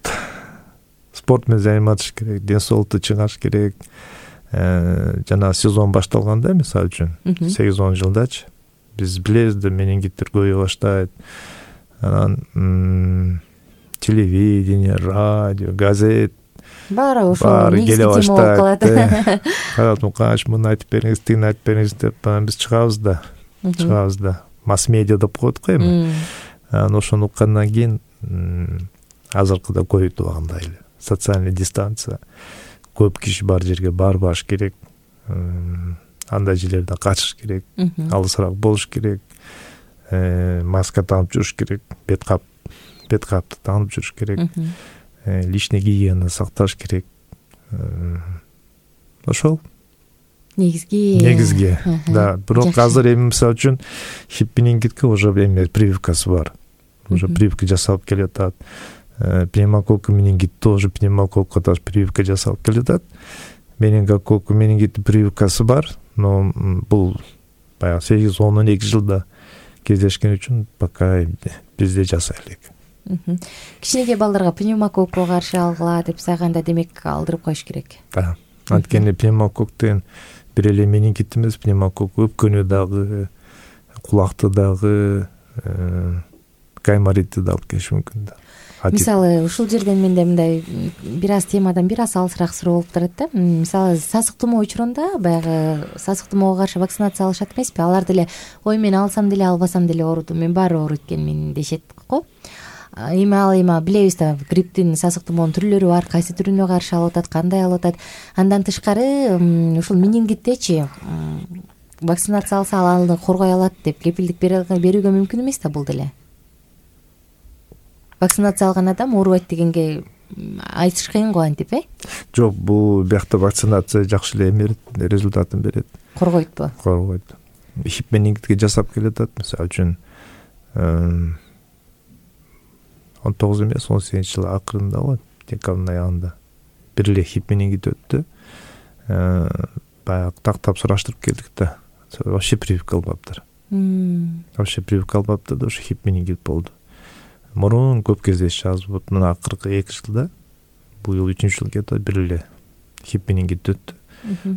спорт менен займатыш керек, ден соолукту чыңаш керек. Жана сезон башталганда, мисалы үчүн, 8-10 жылдачы биз билебиз да, менингиттер көбөйө баштайт. Анан телевидение, радио, газет баары ошол негизги тема болуп калат. Карат Муканыч, муну айтып бериңиз, тигини айтып бериңиз деп биз чыгабыз да. Масс-медиа деп коет го эми. Ошону уккандан кийин азыркыда көбөйтүп алгандай эле. Социальный дистанция, көп киши бар жерге барбаш керек. Андай жерлерден качыш керек, алысыраак болуш керек. Маска тагып жүрүш керек, бет капты тагып жүрүш керек. Личный гигиена сакташ керек. ошол негизги да. Бирок азыр эми мисалы үчүн хип менингитке уже эме прививкасы бар, уже прививка жасалып келатат. Пневмококк менингит тоже пневмококко тоже прививка жасалып келатат. Менингококк менингит прививкасы бар, но бул баягы 8-12 жылда кездешкен үчүн пока бизде жасай элек. Кичинекей балдарга пневмококко каршы алгыла деп сайганда демек алдырып коюш керек. Да. Анткени пневмококк деген бир эле менингит эмес, пневмококк өпкөнү дагы, кулакты дагы, гайморитти да алып келиши мүмкүн да. Мисалы ушул жерден менде мындай бир аз темадан бир аз алысыраак суроо болуп турат да. Мисалы сасык тумоо учурунда баягы сасык тумоого каршы вакцинация алышат эмеспи? Алар деле ой мен алсам деле албасам деле оорудум, мен баары ооруйт экенмин дешет го. Эми билебиз да, грипптин, сасык тумоонун түрлөрү бар, кайсы түрүнө каршы алып атат, кандай алып атат. Андан тышкары ушул менингиттечи вакцинация алса алды коргой алат деп кепилдик берүүгө мүмкүн эмес да бул деле. Вакцинация алган адам оорубайт дегенге айтыш кыйын го антип, Жок, бул биякта вакцинация жакшы эле эме результатын берет. Коргойтпу? Коргойт. Хип менингитке жасап келатат, мисалы үчүн 19 эмес, 18-жыл акырында го, декабрдын аягында бир эле хип менингит өттү. Баягы тактап сураштырып келдик да. Вообще прививка албаптыр. Вообще прививка албаптыр да, ошо хип менингит болду. Мурун көп кездешчү, азыр вот мына акыркы 2 жылда, бул жыл 3-жыл кетип бир эле хип менингит өттү.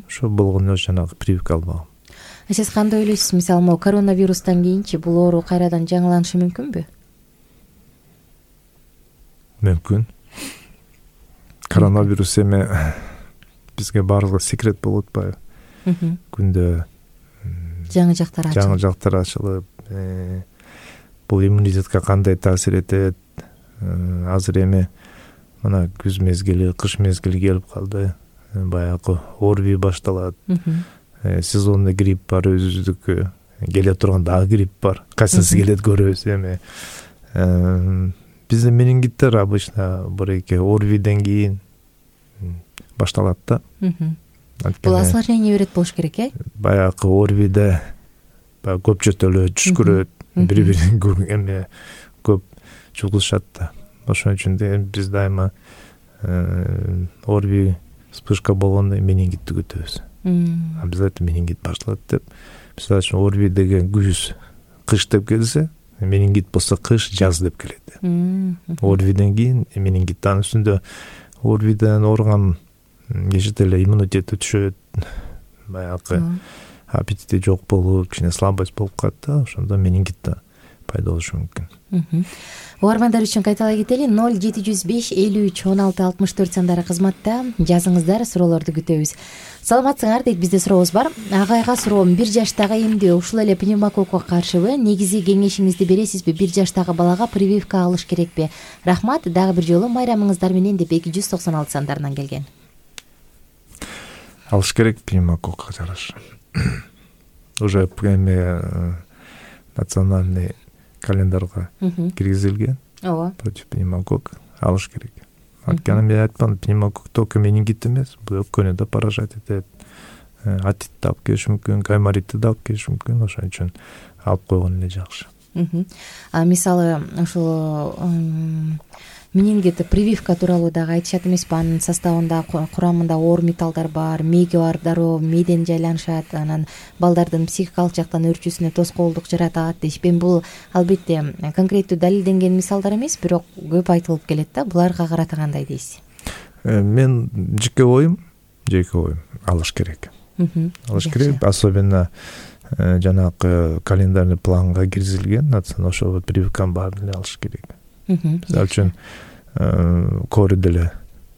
Ошо болгону жанагы прививка албагам. Сиз кандай ойлойсуз? Мисалы, могу коронавирустан кийинчи бул оору кайрадан жаңыланышы мүмкүнбү? Мүмкүн. Коронавирус эме бизге баарыгы секрет болуп атпайбы? Күндө жаңы жактар ачылып, бул иммунитетке кандай таасир этет? Азыр эми мына күз мезгили, кыш мезгили келип калды. Баягы ОРВИ башталат. Сезонный грипп бар, өзүбүздүкү. Келе турган дагы грипп бар. Кайсысы келет көрөбүз эми. Бизде менингиттер обычно бир-эки ОРВИден кийин башталат да. Бул осложнение берет болуш керек, Баягы ОРВИде көп жөтөлөт, түшкүрөт, бири-бирин эме көп жугузушат да. Ошон үчүн биз дайыма ОРВИ вспышка болгондо менингитти күтөбүз. Обязательно менингит башталат деп. Мисалы үчүн ОРВИ деген күз, кыш деп келсе, менингит болсо кыш, жаз деп келет. ОРВИден кийин менингит, анын үстүндө ОРВИден ооруган кишиде эле иммунитети түшөт, баягы аппетити жок болуп, кичине слабость болуп калат да, ошондо менингит да пайда болушу мүмкүн. Угармандар үчүн кайталай кетели. 0705 53 16 64 сандары кызматта жазыңыздар, суроолорду күтөбүз. Саламатсыңар дейт, бизде сурообуз бар. Агайга суроом, 1 жаштагы эмдөө ушул эле пневмококко каршыбы? Негизи кеңешиңизди бересизби? 1 жаштагы балага прививка алыш керекпи? Рахмат, дагы бир жолу майрамыңыздар менен деп 296 сандарынан келген. Алыш керек пневмококко жараша. Уже эме национальный календарга киргизилген. Ооба. Против пневмококка алыш керек. Анткени мен айткан, пневмококк только менингит эмес, бул өпкөнү да поражать этет. Атитти алып келиши мүмкүн, гайморитти да алып келиши мүмкүн, ошон үчүн алып койгон эле жакшы. Мисалы, ошол менингит прививка тууралуу дагы айтышат эмеспи? Анын составында, курамында оор металлдар бар, мээге бар дароо мээден жайланышат, анан балдардын психикалык жактан өөрчүүсүнө тоскоолдук жаратат дейшпи. Бул албетте конкреттүү далилденген мисалдар эмес, бирок көп айтылып келет да. Буларга карата кандай дейсиз? Мен жеке оюм алыш керек. Алыш керек, особенно жанагы календарный планга киргизилген, ошол прививканы баарын эле алыш керек. Мисалы үчүн кори деле,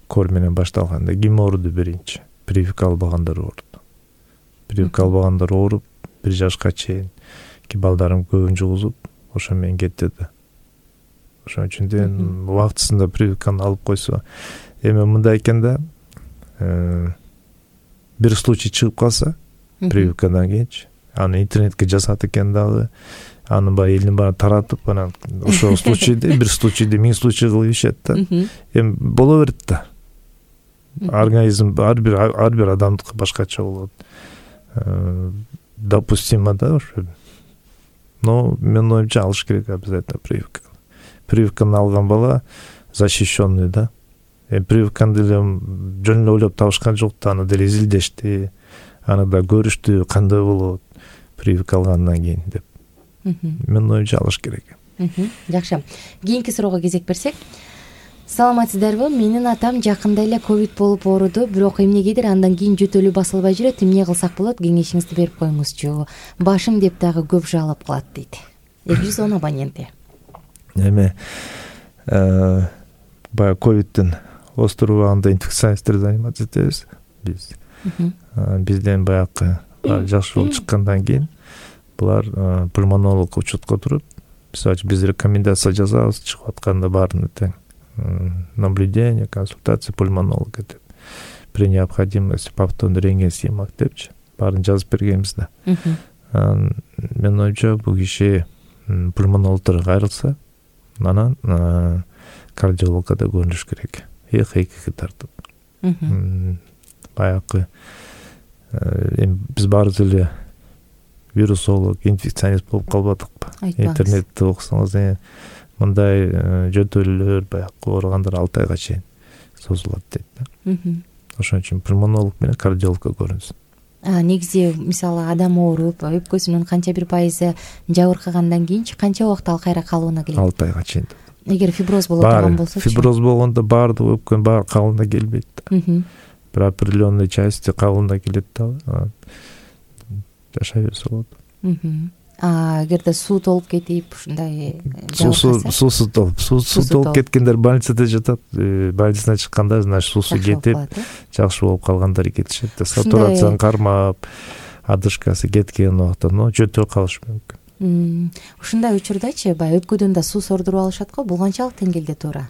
кори менен башталганда ким ооруду биринчи? Прививка албагандар ооруду. Прививка албагандар ооруп, 1 жашка чейин ки балдарым көбүн жугузуп, ошо менен кетти да. Ошон үчүн убактысында прививканы алып койсо, эми мындай экен да, бир случай чыгып калса, прививкадан кийинчи, аны интернетке жазат экен дагы, аны баягы элдин баары таратып, анан ошол случайда, бир случайда 1000 случай кылып ишет да. Эми боло берет да. организм ар бир адамдыкы башкача болот. Допустимо да ошо. Но менин оюмча алыш керек обязательно прививка. Прививканы алган бала защищенный да. Прививканы деле жөн эле ойлоп табышкан жок да, аны деле изилдешти, аны да көрүштү кандай болот прививка алгандан кийин деп. Менин оюмча алыш керек. Жакшы. Кийинки суроого кезек берсек. Саламатсыздарбы? Менин атам жакында эле ковид болуп ооруду, бирок эмнегедир андан кийин жөтөлү басылбай жүрөт. Эмне кылсак болот? Кеңешиңизди берип коюңузчу. Башым деп дагы көп жалап калат дейт. 210 абоненти. Эме баягы ковидтен остуруп убагында инфекционисттер заниматься этебиз биз. Бизден баягы жакшы болуп чыккандан кийин булар пульмонолог учетко туруп, биз рекомендация жазабыз, чыгып атканда баарын тең наблюдение, консультация пульмонолога деп, при необходимости повторный рентген снимок депчи баарын жазып бергенбиз да. Менин оюмча бул киши пульмонологдорго кайрылса, анан кардиологко да көрүнүш керек. ЭКГ тартып. Баягы биз баарыбыз эле вирусолог, инфекционист болуп калбадыкпы? Интернетте окусаңыз, мындай жөтөлүүлөр баягы ооругандар 6 айга чейин созулат дейт да. Ошон үчүн пульмонолог менен кардиологко көрүнсүн. Негизи мисалы адам ооруп, өпкөсүнүн канча бир пайызы жабыркагандан кийинчи канча убакыт ал кайра калыбына келет? 6 айга чейин. Эгер фиброз боло турган болсочу? Фиброз болгондо баардык өпкөнүн баары калыбына келбейт да. Бир определенный части калыбына келет да. Жашай берсе болот. Эгерде суу толуп кетип, ушундай суусу толуп кеткендер больницада жатат. Больницадан чыкканда, значит, суусу кетип, жакшы болуп калгандар кетишет. Сатурацияны кармап, одышкасы кеткен убакта, жөтөлүп калышы мүмкүн. Ушундай учурдачы, баягы өпкөдөн да суу сордуруп алышат го, бул канчалык деңгээлде туура?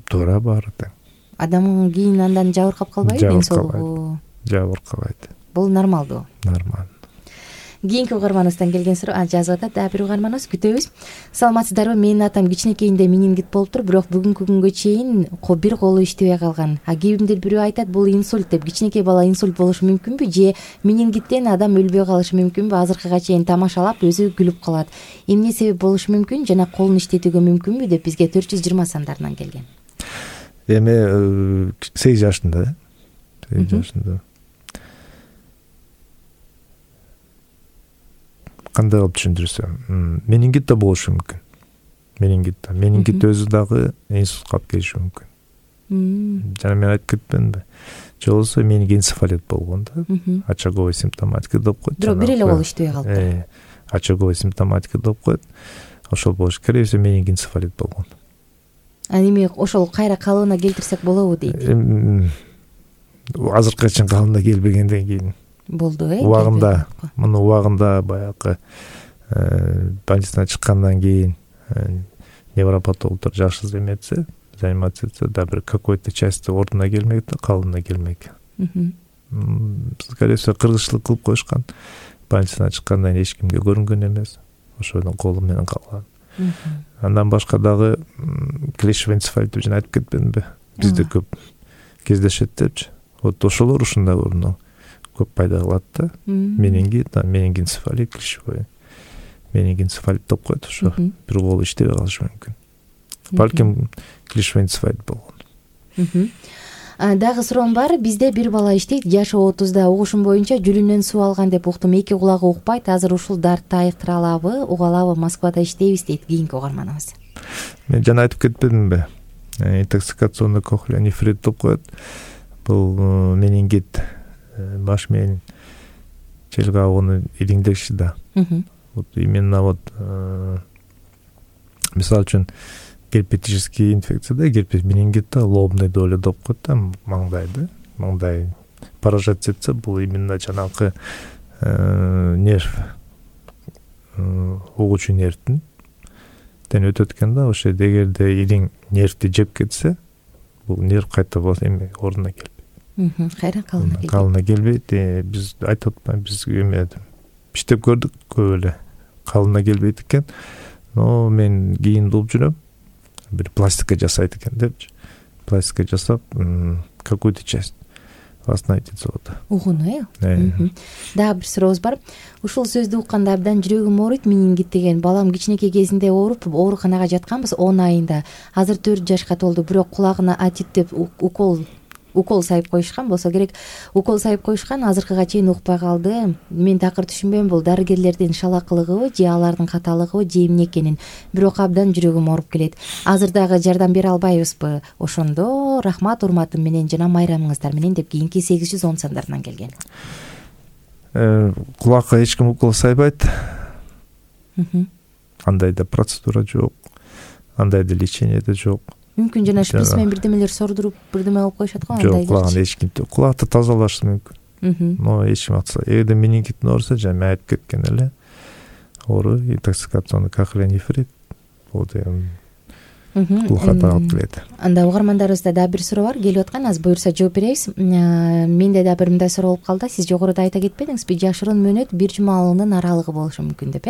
Туура, баары тең. Адам кийин андан жабыркап калбайбы, ден соолугу? Жабыркабайт. Бул нормалдуу? Нормально. Кийинки угарманыбыздан келген суроо жазып атат, дагы бир угарманыбыз, күтөбүз. Саламатсыздарбы? Менин атам кичинекейинде менингит болуптур, бирок бүгүнкү күнгө чейин бир колу иштебей калган. Кийимдир бирөө айтат, бул инсульт деп. Кичинекей бала инсульт болушу мүмкүнбү же менингиттен адам өлбөй калышы мүмкүнбү? Азыркыга чейин тамашалап, өзү күлүп калат. Эмне себеп болушу мүмкүн жана колун иштетүүгө мүмкүнбү деп бизге 420 сандарынан келген. Эми 8 жашында, 8 жашында. Кандай кылып түшүндүрсөм, менингит да болушу мүмкүн. Менингит өзү дагы инсультка алып келиши мүмкүн. Жана мен айтып кетпедимби? Же болбосо менингенцефалит болгон да. Очаговый симптоматика деп коет. Бирок бир эле кол иштебей калыптыр. Очаговый симптоматика деп коет. Ошол болуш керек, менингенцефалит болгон. Эми ошол кайра калыбына келтирсек болобу дейт. Азыркыга чейин калыбына келбегенден кийин болду, убагында, муну убагында баягы больницадан чыккандан кийин невропатологдор жакшы заниматься этсе, да бир какой-то части ордуна келмек да, калыбына келмек. Скорее всего, кыргызчылык кылып коюшкан. Больницадан чыккандан кийин эч кимге көрүнгөн эмес. Ошодон колу менен калган. Андан башка дагы клещевый энцефалит деп жана айтып кетпедимби? Бизде көп кездешет депчи. Вот ошолор ушундай орунду көп пайда кылат да. Менингит, менингенцефалит, клещевой. Менингенцефалит деп коет, ошо бир колу иштебей калышы мүмкүн. Балким клещевой энцефалит болгон. Дагы суроом бар. Бизде бир бала иштейт, жашы 30да, угушум боюнча жүлүнөн суу алган деп уктум. Эки кулагы укпайт. Азыр ушул дартты айыктыра алабы, уга алабы? Москвада иштейбиз дейт кийинки угарманыбыз. Мен жана айтып кетпедимби? Интоксикационный кохлеонефрит деп коет. Бул менингит, баш менен жел кабыгынын илиңдеши да. Вот именно вот мисалы үчүн герпетический инфекцияда, герпес менингитте лобный доля деп коет да, маңдайды. Маңдай поражать этсе, бул именно жанакы нерв, угуучу нервдин тен өтөт экен да. Ошо эгерде илиң нервди жеп кетсе, бул нерв кайта эми ордуна келбейт. Кайра калыбына келбейт. Биз айтып атпайбы, биз эме иштеп көрдүк көп эле. Калыбына келбейт экен. Но мен кийин болуп жүрөм. Бир пластика жасайт экен депчи. пластика жасап какую-то часть восстановить завода. Угуну Дагы бир сурообуз бар. Ушул сөздү укканда абдан жүрөгүм ооруйт. Менингит деген балам кичинекей кезинде ооруп ооруканага жатканбыз 10 айында. Азыр 4 жашка толду, бирок кулагына атит деп укол сайып коюшкан болсо керек. Укол сайып коюшкан, азыркыга чейин укпай калды. Мен такыр түшүнбөйм, бул дарыгерлердин шалакылыгыбы же алардын каталыгыбы же эмне экенин. Бирок абдан жүрөгүм ооруп келет. Азыр дагы жардам бере албайбызбы? Ошондо рахмат, урматым менен жана майрамыңыздар менен деп кийинки 810 сандарынан келген. Кулакка эч ким укол сайбайт. Андай да процедура жок. Андай да лечение да жок. Мүмкүн жана шприц менен бирдемелер сордуруп бирдеме кылып коюшат го, андай. Жок, кулаган эч ким. Кулакты тазалаш мүмкүн. Но эч ким атса, эгерде менингиттин оорусу жана айып кеткен эле оору, интоксикационный кахилонефрит, бул деген кулакка алып келет. Анда угармандарыбызда дагы бир суроо бар, келип аткан. Аз буюрса жооп беребиз. Менде да бир мындай суроо болуп калды. Сиз жогоруда айта кетпедиңизби? Жашыруун мөөнөт 1 жумалыгынын аралыгы болушу мүмкүн деп,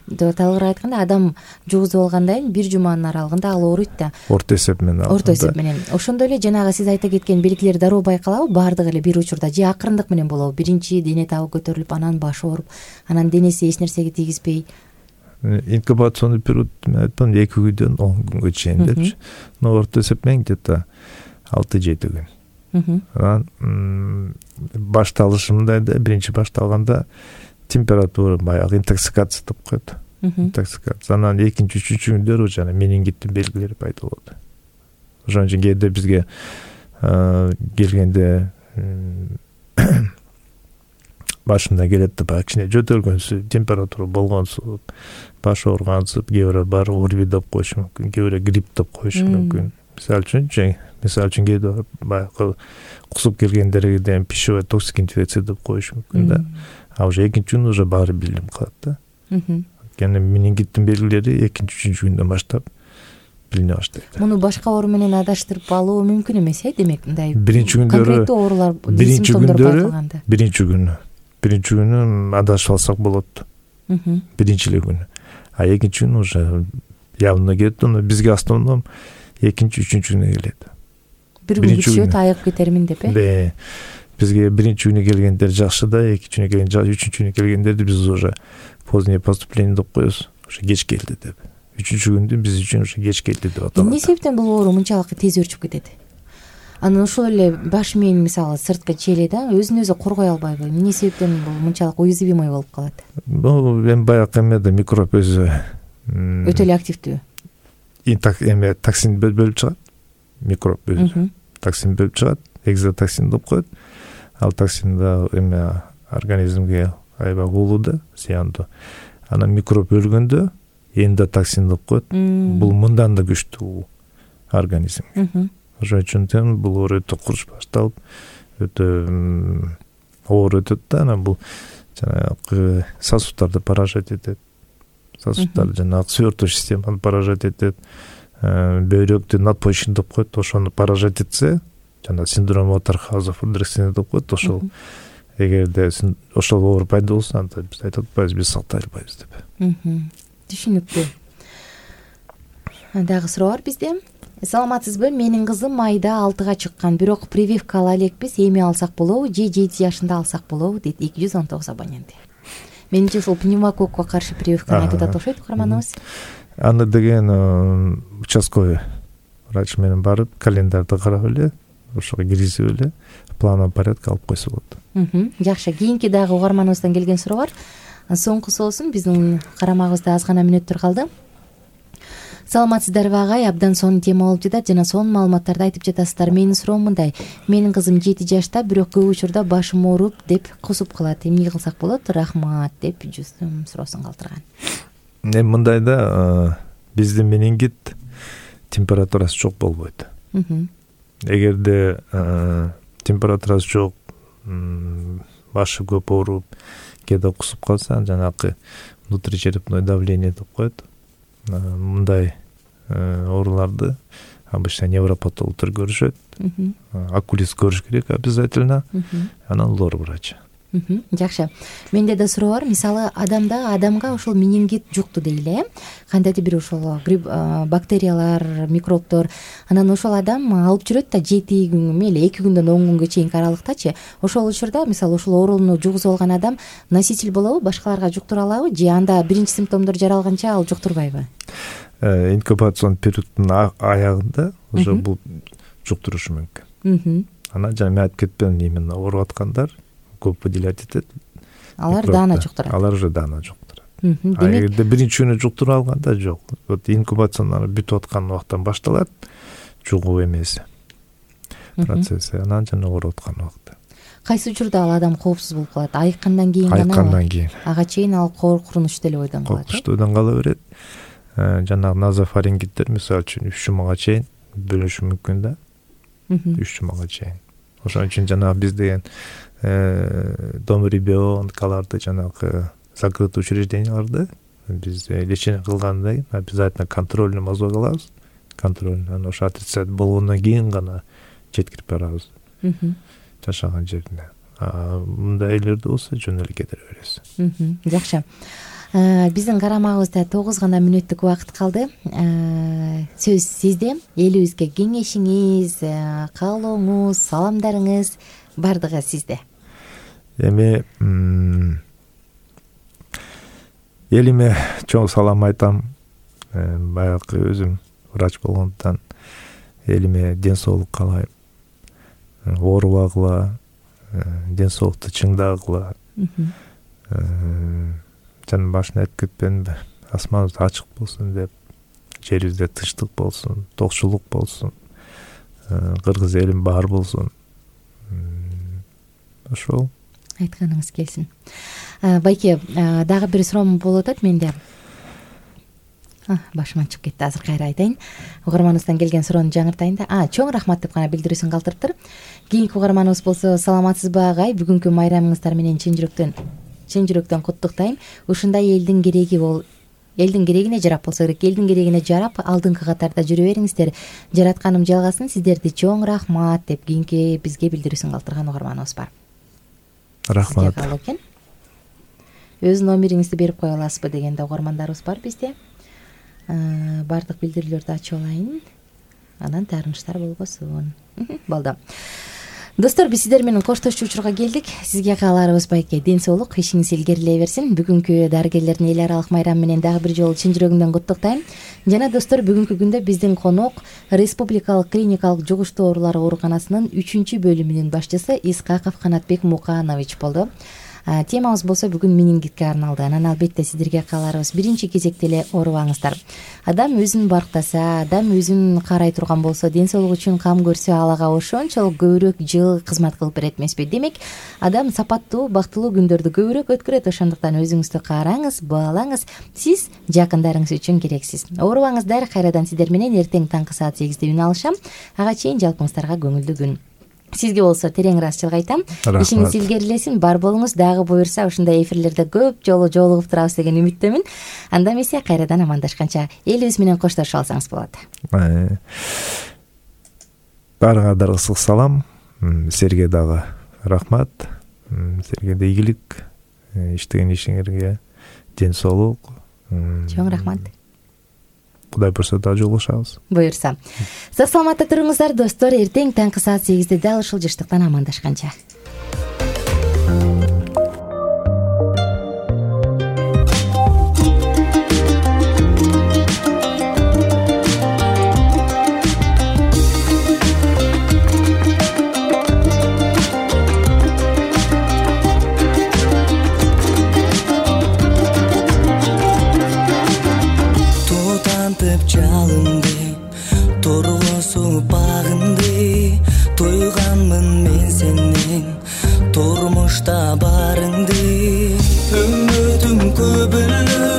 Талгырак айтканда, адам жугузуп алгандан кийин 1 жуманын аралыгында ал ооруйт да. Орто эсеп менен. Орто эсеп менен. Ошондой эле жанагы сиз айта кеткен белгилер дароо байкалабы? Баардыгы эле бир учурда же акырындык менен болобу? Биринчи дене табы көтөрүлүп, анан башы ооруп, анан денеси эч нерсеге тийгизбей. Инкубационный период мен айттым 2 күндөн 10 күнгө чейин депчи. Но орто эсеп менен где-то 6-7 күн. Анан башталышы мындай да, биринчи башталганда температура баягы интоксикация деп коет. Интоксикация. Анан экинчи, үчүнчү күндөр жана менингиттин белгилери пайда болот. Ошон үчүн кээде бизге келгенде башында келет да, баягы кичине жөтөлгөнсү, температура болгонсу, баш ооргансып, кээ бирөө бар ОРВИ деп коюшу мүмкүн, кээ бирөө грипп деп коюшу мүмкүн. Мисалы үчүн кээде баягы кусуп келгендерден пищевой токсик инфекция деп коюшу мүмкүн да. А уже экинчи күн уже баары билинип калат да. Кene менингиттин белгилери экинчи, үчүнчү күндөн баштап билине баштайт. Муну башка оору менен адаштырып алуу мүмкүн эмес, демек мындай биринчи күндөрү конкреттүү оорулар, симптомдор байкалганда. Биринчи күнү адашып алсак болот. Биринчи эле күнү. А экинчи күнү уже явно кетти. Бизге основном экинчи, үчүнчү күнү келет. Бир күн күтүшөт, айыгып кетермин деп, Бизге биринчи күнү келгендер жакшы да, экинчи күнү келген, үчүнчү күнү келгендерди биз уже позднее поступление деп коебуз. Уже кеч келди деп. Үчүнчү күндү биз үчүн уже кеч келди деп аталат. Эмне себептен бул оору мынчалык тез өрчүп кетет? Анан ошол эле баш мээни мисалы сырткы чели да, өзүн өзү коргой албайбы? Эмне себептен бул мынчалык уязвимый болуп калат? Бул эми баягы эмеде микроб өзү өтө эле активдүү. Токсин бөлүп чыгат. Микроб өзү токсин бөлүп чыгат, экзотоксин деп коет. Ал токсин да эме организмге аябай уулуу да, зыяндуу. Анан микроб өлгөндө эндотоксин деп коет. Бул мындан да күчтүү организмге. Ошон үчүн бул оору өтө курч башталып, өтө оор өтөт да, анан бул жанагы сосудтарды поражать этет. Сосудтар жанагы свертывающий системаны поражать этет. Бөйрөктү надпочечник деп коет, ошону поражать этсе, жана синдром Отерхауза Фридрихсен деп коет, ошол эгерде ошол оору пайда болсо, анда биз айтып атпайбыз, биз сактай албайбыз деп. Түшүнүктүү. Дагы суроо бар бизде. Саламатсызбы? Менин кызым майда 6га чыккан, бирок прививка ала элекпиз, эми алсак болобу же 7 жашында алсак болобу дейт 219 абоненти. Менимче ушул пневмококко каршы прививканы айтып атат окшойт каарманыбыз. Аны деген участковый врач менен барып, календарды карап эле, ошого киргизип эле, плановый порядка алып койсо болот. Жакшы, кийинки дагы угарманыбыздан келген суроо бар. Соңкусу болсун, биздин карамагыбызда аз гана мүнөттөр калды. Саламатсыздарбы агай, абдан сонун тема болуп жатат жана сонун маалыматтарды айтып жатасыздар. Менин суроом мындай: менин кызым 7 жашта, бирок көп учурда башым ооруп деп кусуп калат. Эмне кылсак болот? Рахмат деп жүзүм суроосун калтырган. Мындай да, биздин менингит температурасы жок болбойт. Эгерде температурасы жок, башы көп ооруп, кээде кусуп калса, жанагы внутричерепное давление деп коет. Мындай ооруларды обычно невропатологдор көрүшөт. Окулист көрүш керек обязательно. Анан лор врач. Жакшы. Менде да суроо бар. Мисалы, адамга ошол менингит жукту дейли, кандайдыр бир ошол бактериялар, микробдор. Анан ошол адам алып жүрөт да 7 күн, мейли 2 күндөн 10 күнгө чейинки аралыктачы. Ошол учурда, мисалы, ошол ооруну жугузуп алган адам носитель болобу, башкаларга жуктура алабы же анда биринчи симптомдор жаралганча ал жуктурбайбы? Инкубацион периоддун аягында уже бул жуктурушу мүмкүн. Анан жана мен айтып кетпедим, именно ооруп аткандар көп выделять этет. Алар даана жуктурат. Алар уже даана жуктурат. Эгерде биринчи күнү жуктуруп алганда жок. Вот инкубациянын бүтүп аткан убактан башталат жугуу эмеси процесси. Анан жана ооруп аткан убакта. Кайсы учурда ал адам коопсуз болуп калат? Айыккандан кийин гана? Айыккандан кийин. Ага чейин ал коркунучтуу эле ойдон калат. Коркунучтуу ойдон кала берет. Жанагы назофарингиттер мисалы үчүн 3 жумага чейин бөлүшү мүмкүн да. 3 жумага чейин. Ошон үчүн жанагы биз деген дом ребенкаларды жанагы закрытый учрежденияларды биз лечение кылгандан кийин обязательно контрольный мазок алабыз. Контрольный. Анан ошо отрицать болгондон кийин гана жеткирип барабыз. Жашаган жерине. Мындай элерде болсо жөн эле кетире бересиз. Жакшы. Биздин карамагыбызда 9 гана мүнөттүк убакыт калды. Сөз сизде. Элибизге кеңешиңиз, каалооңуз, саламдарыңыз бардыгы сизде. Эми элиме чоң салам айтам. Баягы өзүм врач болгондуктан элиме ден соолук каалайм. Оорубагыла, ден соолукту чыңдагыла. Жана башында айтып кетпедимби? Асманыбыз ачык болсун деп, жерибизде тынчтык болсун, токчулук болсун, кыргыз элим бар болсун. Ошол айтканыңыз келсин. Байке, дагы бир суроом болуп атат менде. Башыман чыгып кетти. Азыр кайра айтайын. Угарманыбыздан келген суроону жаңыртайын да. Чоң рахмат деп гана билдирүүсүн калтырыптыр. Кийинки угарманыбыз болсо, саламатсызбы агай? Бүгүнкү майрамыңыздар менен чын жүрөктөн куттуктайм. Ушундай элдин керегине жарап болсо керек. Элдин керегине жарап, алдыңкы катарда жүрө бериңиздер. Жаратканым жалгасын, сиздерди чоң рахмат деп кийинки бизге билдирүүсүн калтырган угарманыбыз бар. Рахмат. Өз номериңизди берип кое аласызбы дегенде угармандарыбыз бар бизде. Бардык билдирүүлөрдү ачып алайын. Анан таарынычтар болбосун. Болду. Достор, биз сиздер менен коштошчу учурга келдик. Сизге кааларыбыз байке ден соолук, ишиңиз илгерилей берсин. Бүгүнкү дарыгерлердин эл аралык майрамы менен дагы бир жолу чын жүрөгүмдөн куттуктайм. Жана достор, бүгүнкү күндө биздин конок Республикалык клиникалык жугуштуу оорулар ооруканасынын 3-бөлүмүнүн башчысы Исхаков Канатбек Муканович болду. Темабыз болсо бүгүн менингитке арналды. Анан албетте сиздерге кааларыбыз биринчи кезекте эле оорубаңыздар. Адам өзүн барктаса, адам өзүн карай турган болсо, ден соолук үчүн кам көрсө, алага ошончолук көбүрөөк жыл кызмат кылып берет эмеспи? Демек, адам сапаттуу, бактылуу күндөрдү көбүрөөк өткөрөт. Ошондуктан өзүңүздү караңыз, баалаңыз. Сиз жакындарыңыз үчүн керексиз. Оорубаңыздар. Кайрадан сиздер менен эртең таңкы саат 8-де үн алышам. Ага чейин жалпыңыздарга көңүлдүү күн. Сизге болсо терең ыраазычылык айтам. Ишиңиз илгерилесин, бар болуңуз. Дагы буюрса ушундай эфирлерде көп жолу жолугуп турабыз деген үмүттөмүн. Анда эмесе кайрадан амандашканча элибиз менен коштошуп алсаңыз болот. Баарыңарга ысык салам. Силерге дагы рахмат. Силерге да ийгилик. Иштеген ишиңерге ден соолук. Чоң рахмат. Кудай буйрса да жолугушабыз. Буйрса. Сак саламатта туруңуздар достор. Эртең таңкы саат 8-де дал ушул жыштыктан амандашканча. Жалынды, торгосу багынды, тойганмын мен сенен, турмушта барыңды. Үмүтүм көбүлү,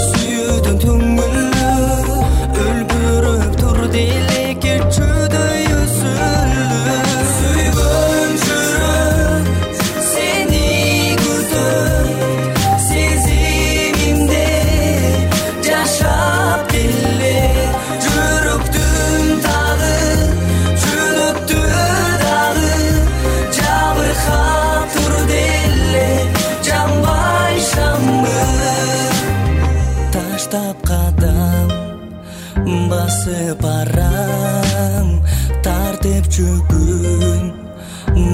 сүйүүдүм түңүлү, өлбүрөп турду элекке чөдөй өсүлү. Сүйгөн жүрөк сени күтөт, сезимимде жашап келе. Жүрөктүм тагы, жүрөктү дагы жабыркап турду. көпчүгүн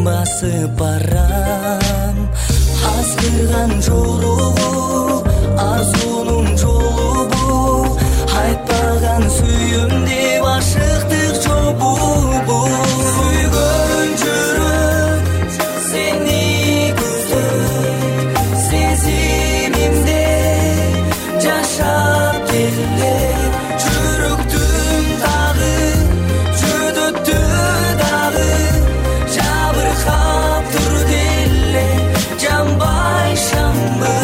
басып барам. Азгырган жолугу арзунун жолу бу, айтпаган сүйүм деп ашыктык жолу бу. Сүйгөн жүрөк сени күтөт, сезимимде жашап келе. Жүрөктүм дагы жөдөттү дагы, жабыркап тур деле жанбай шамбы.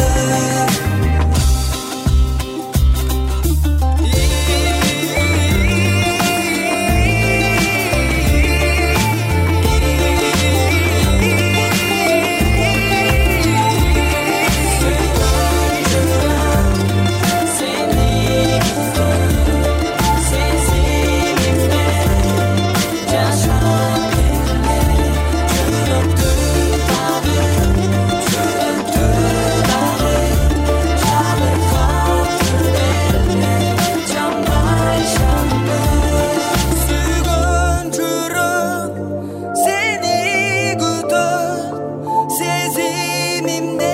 Сезимимде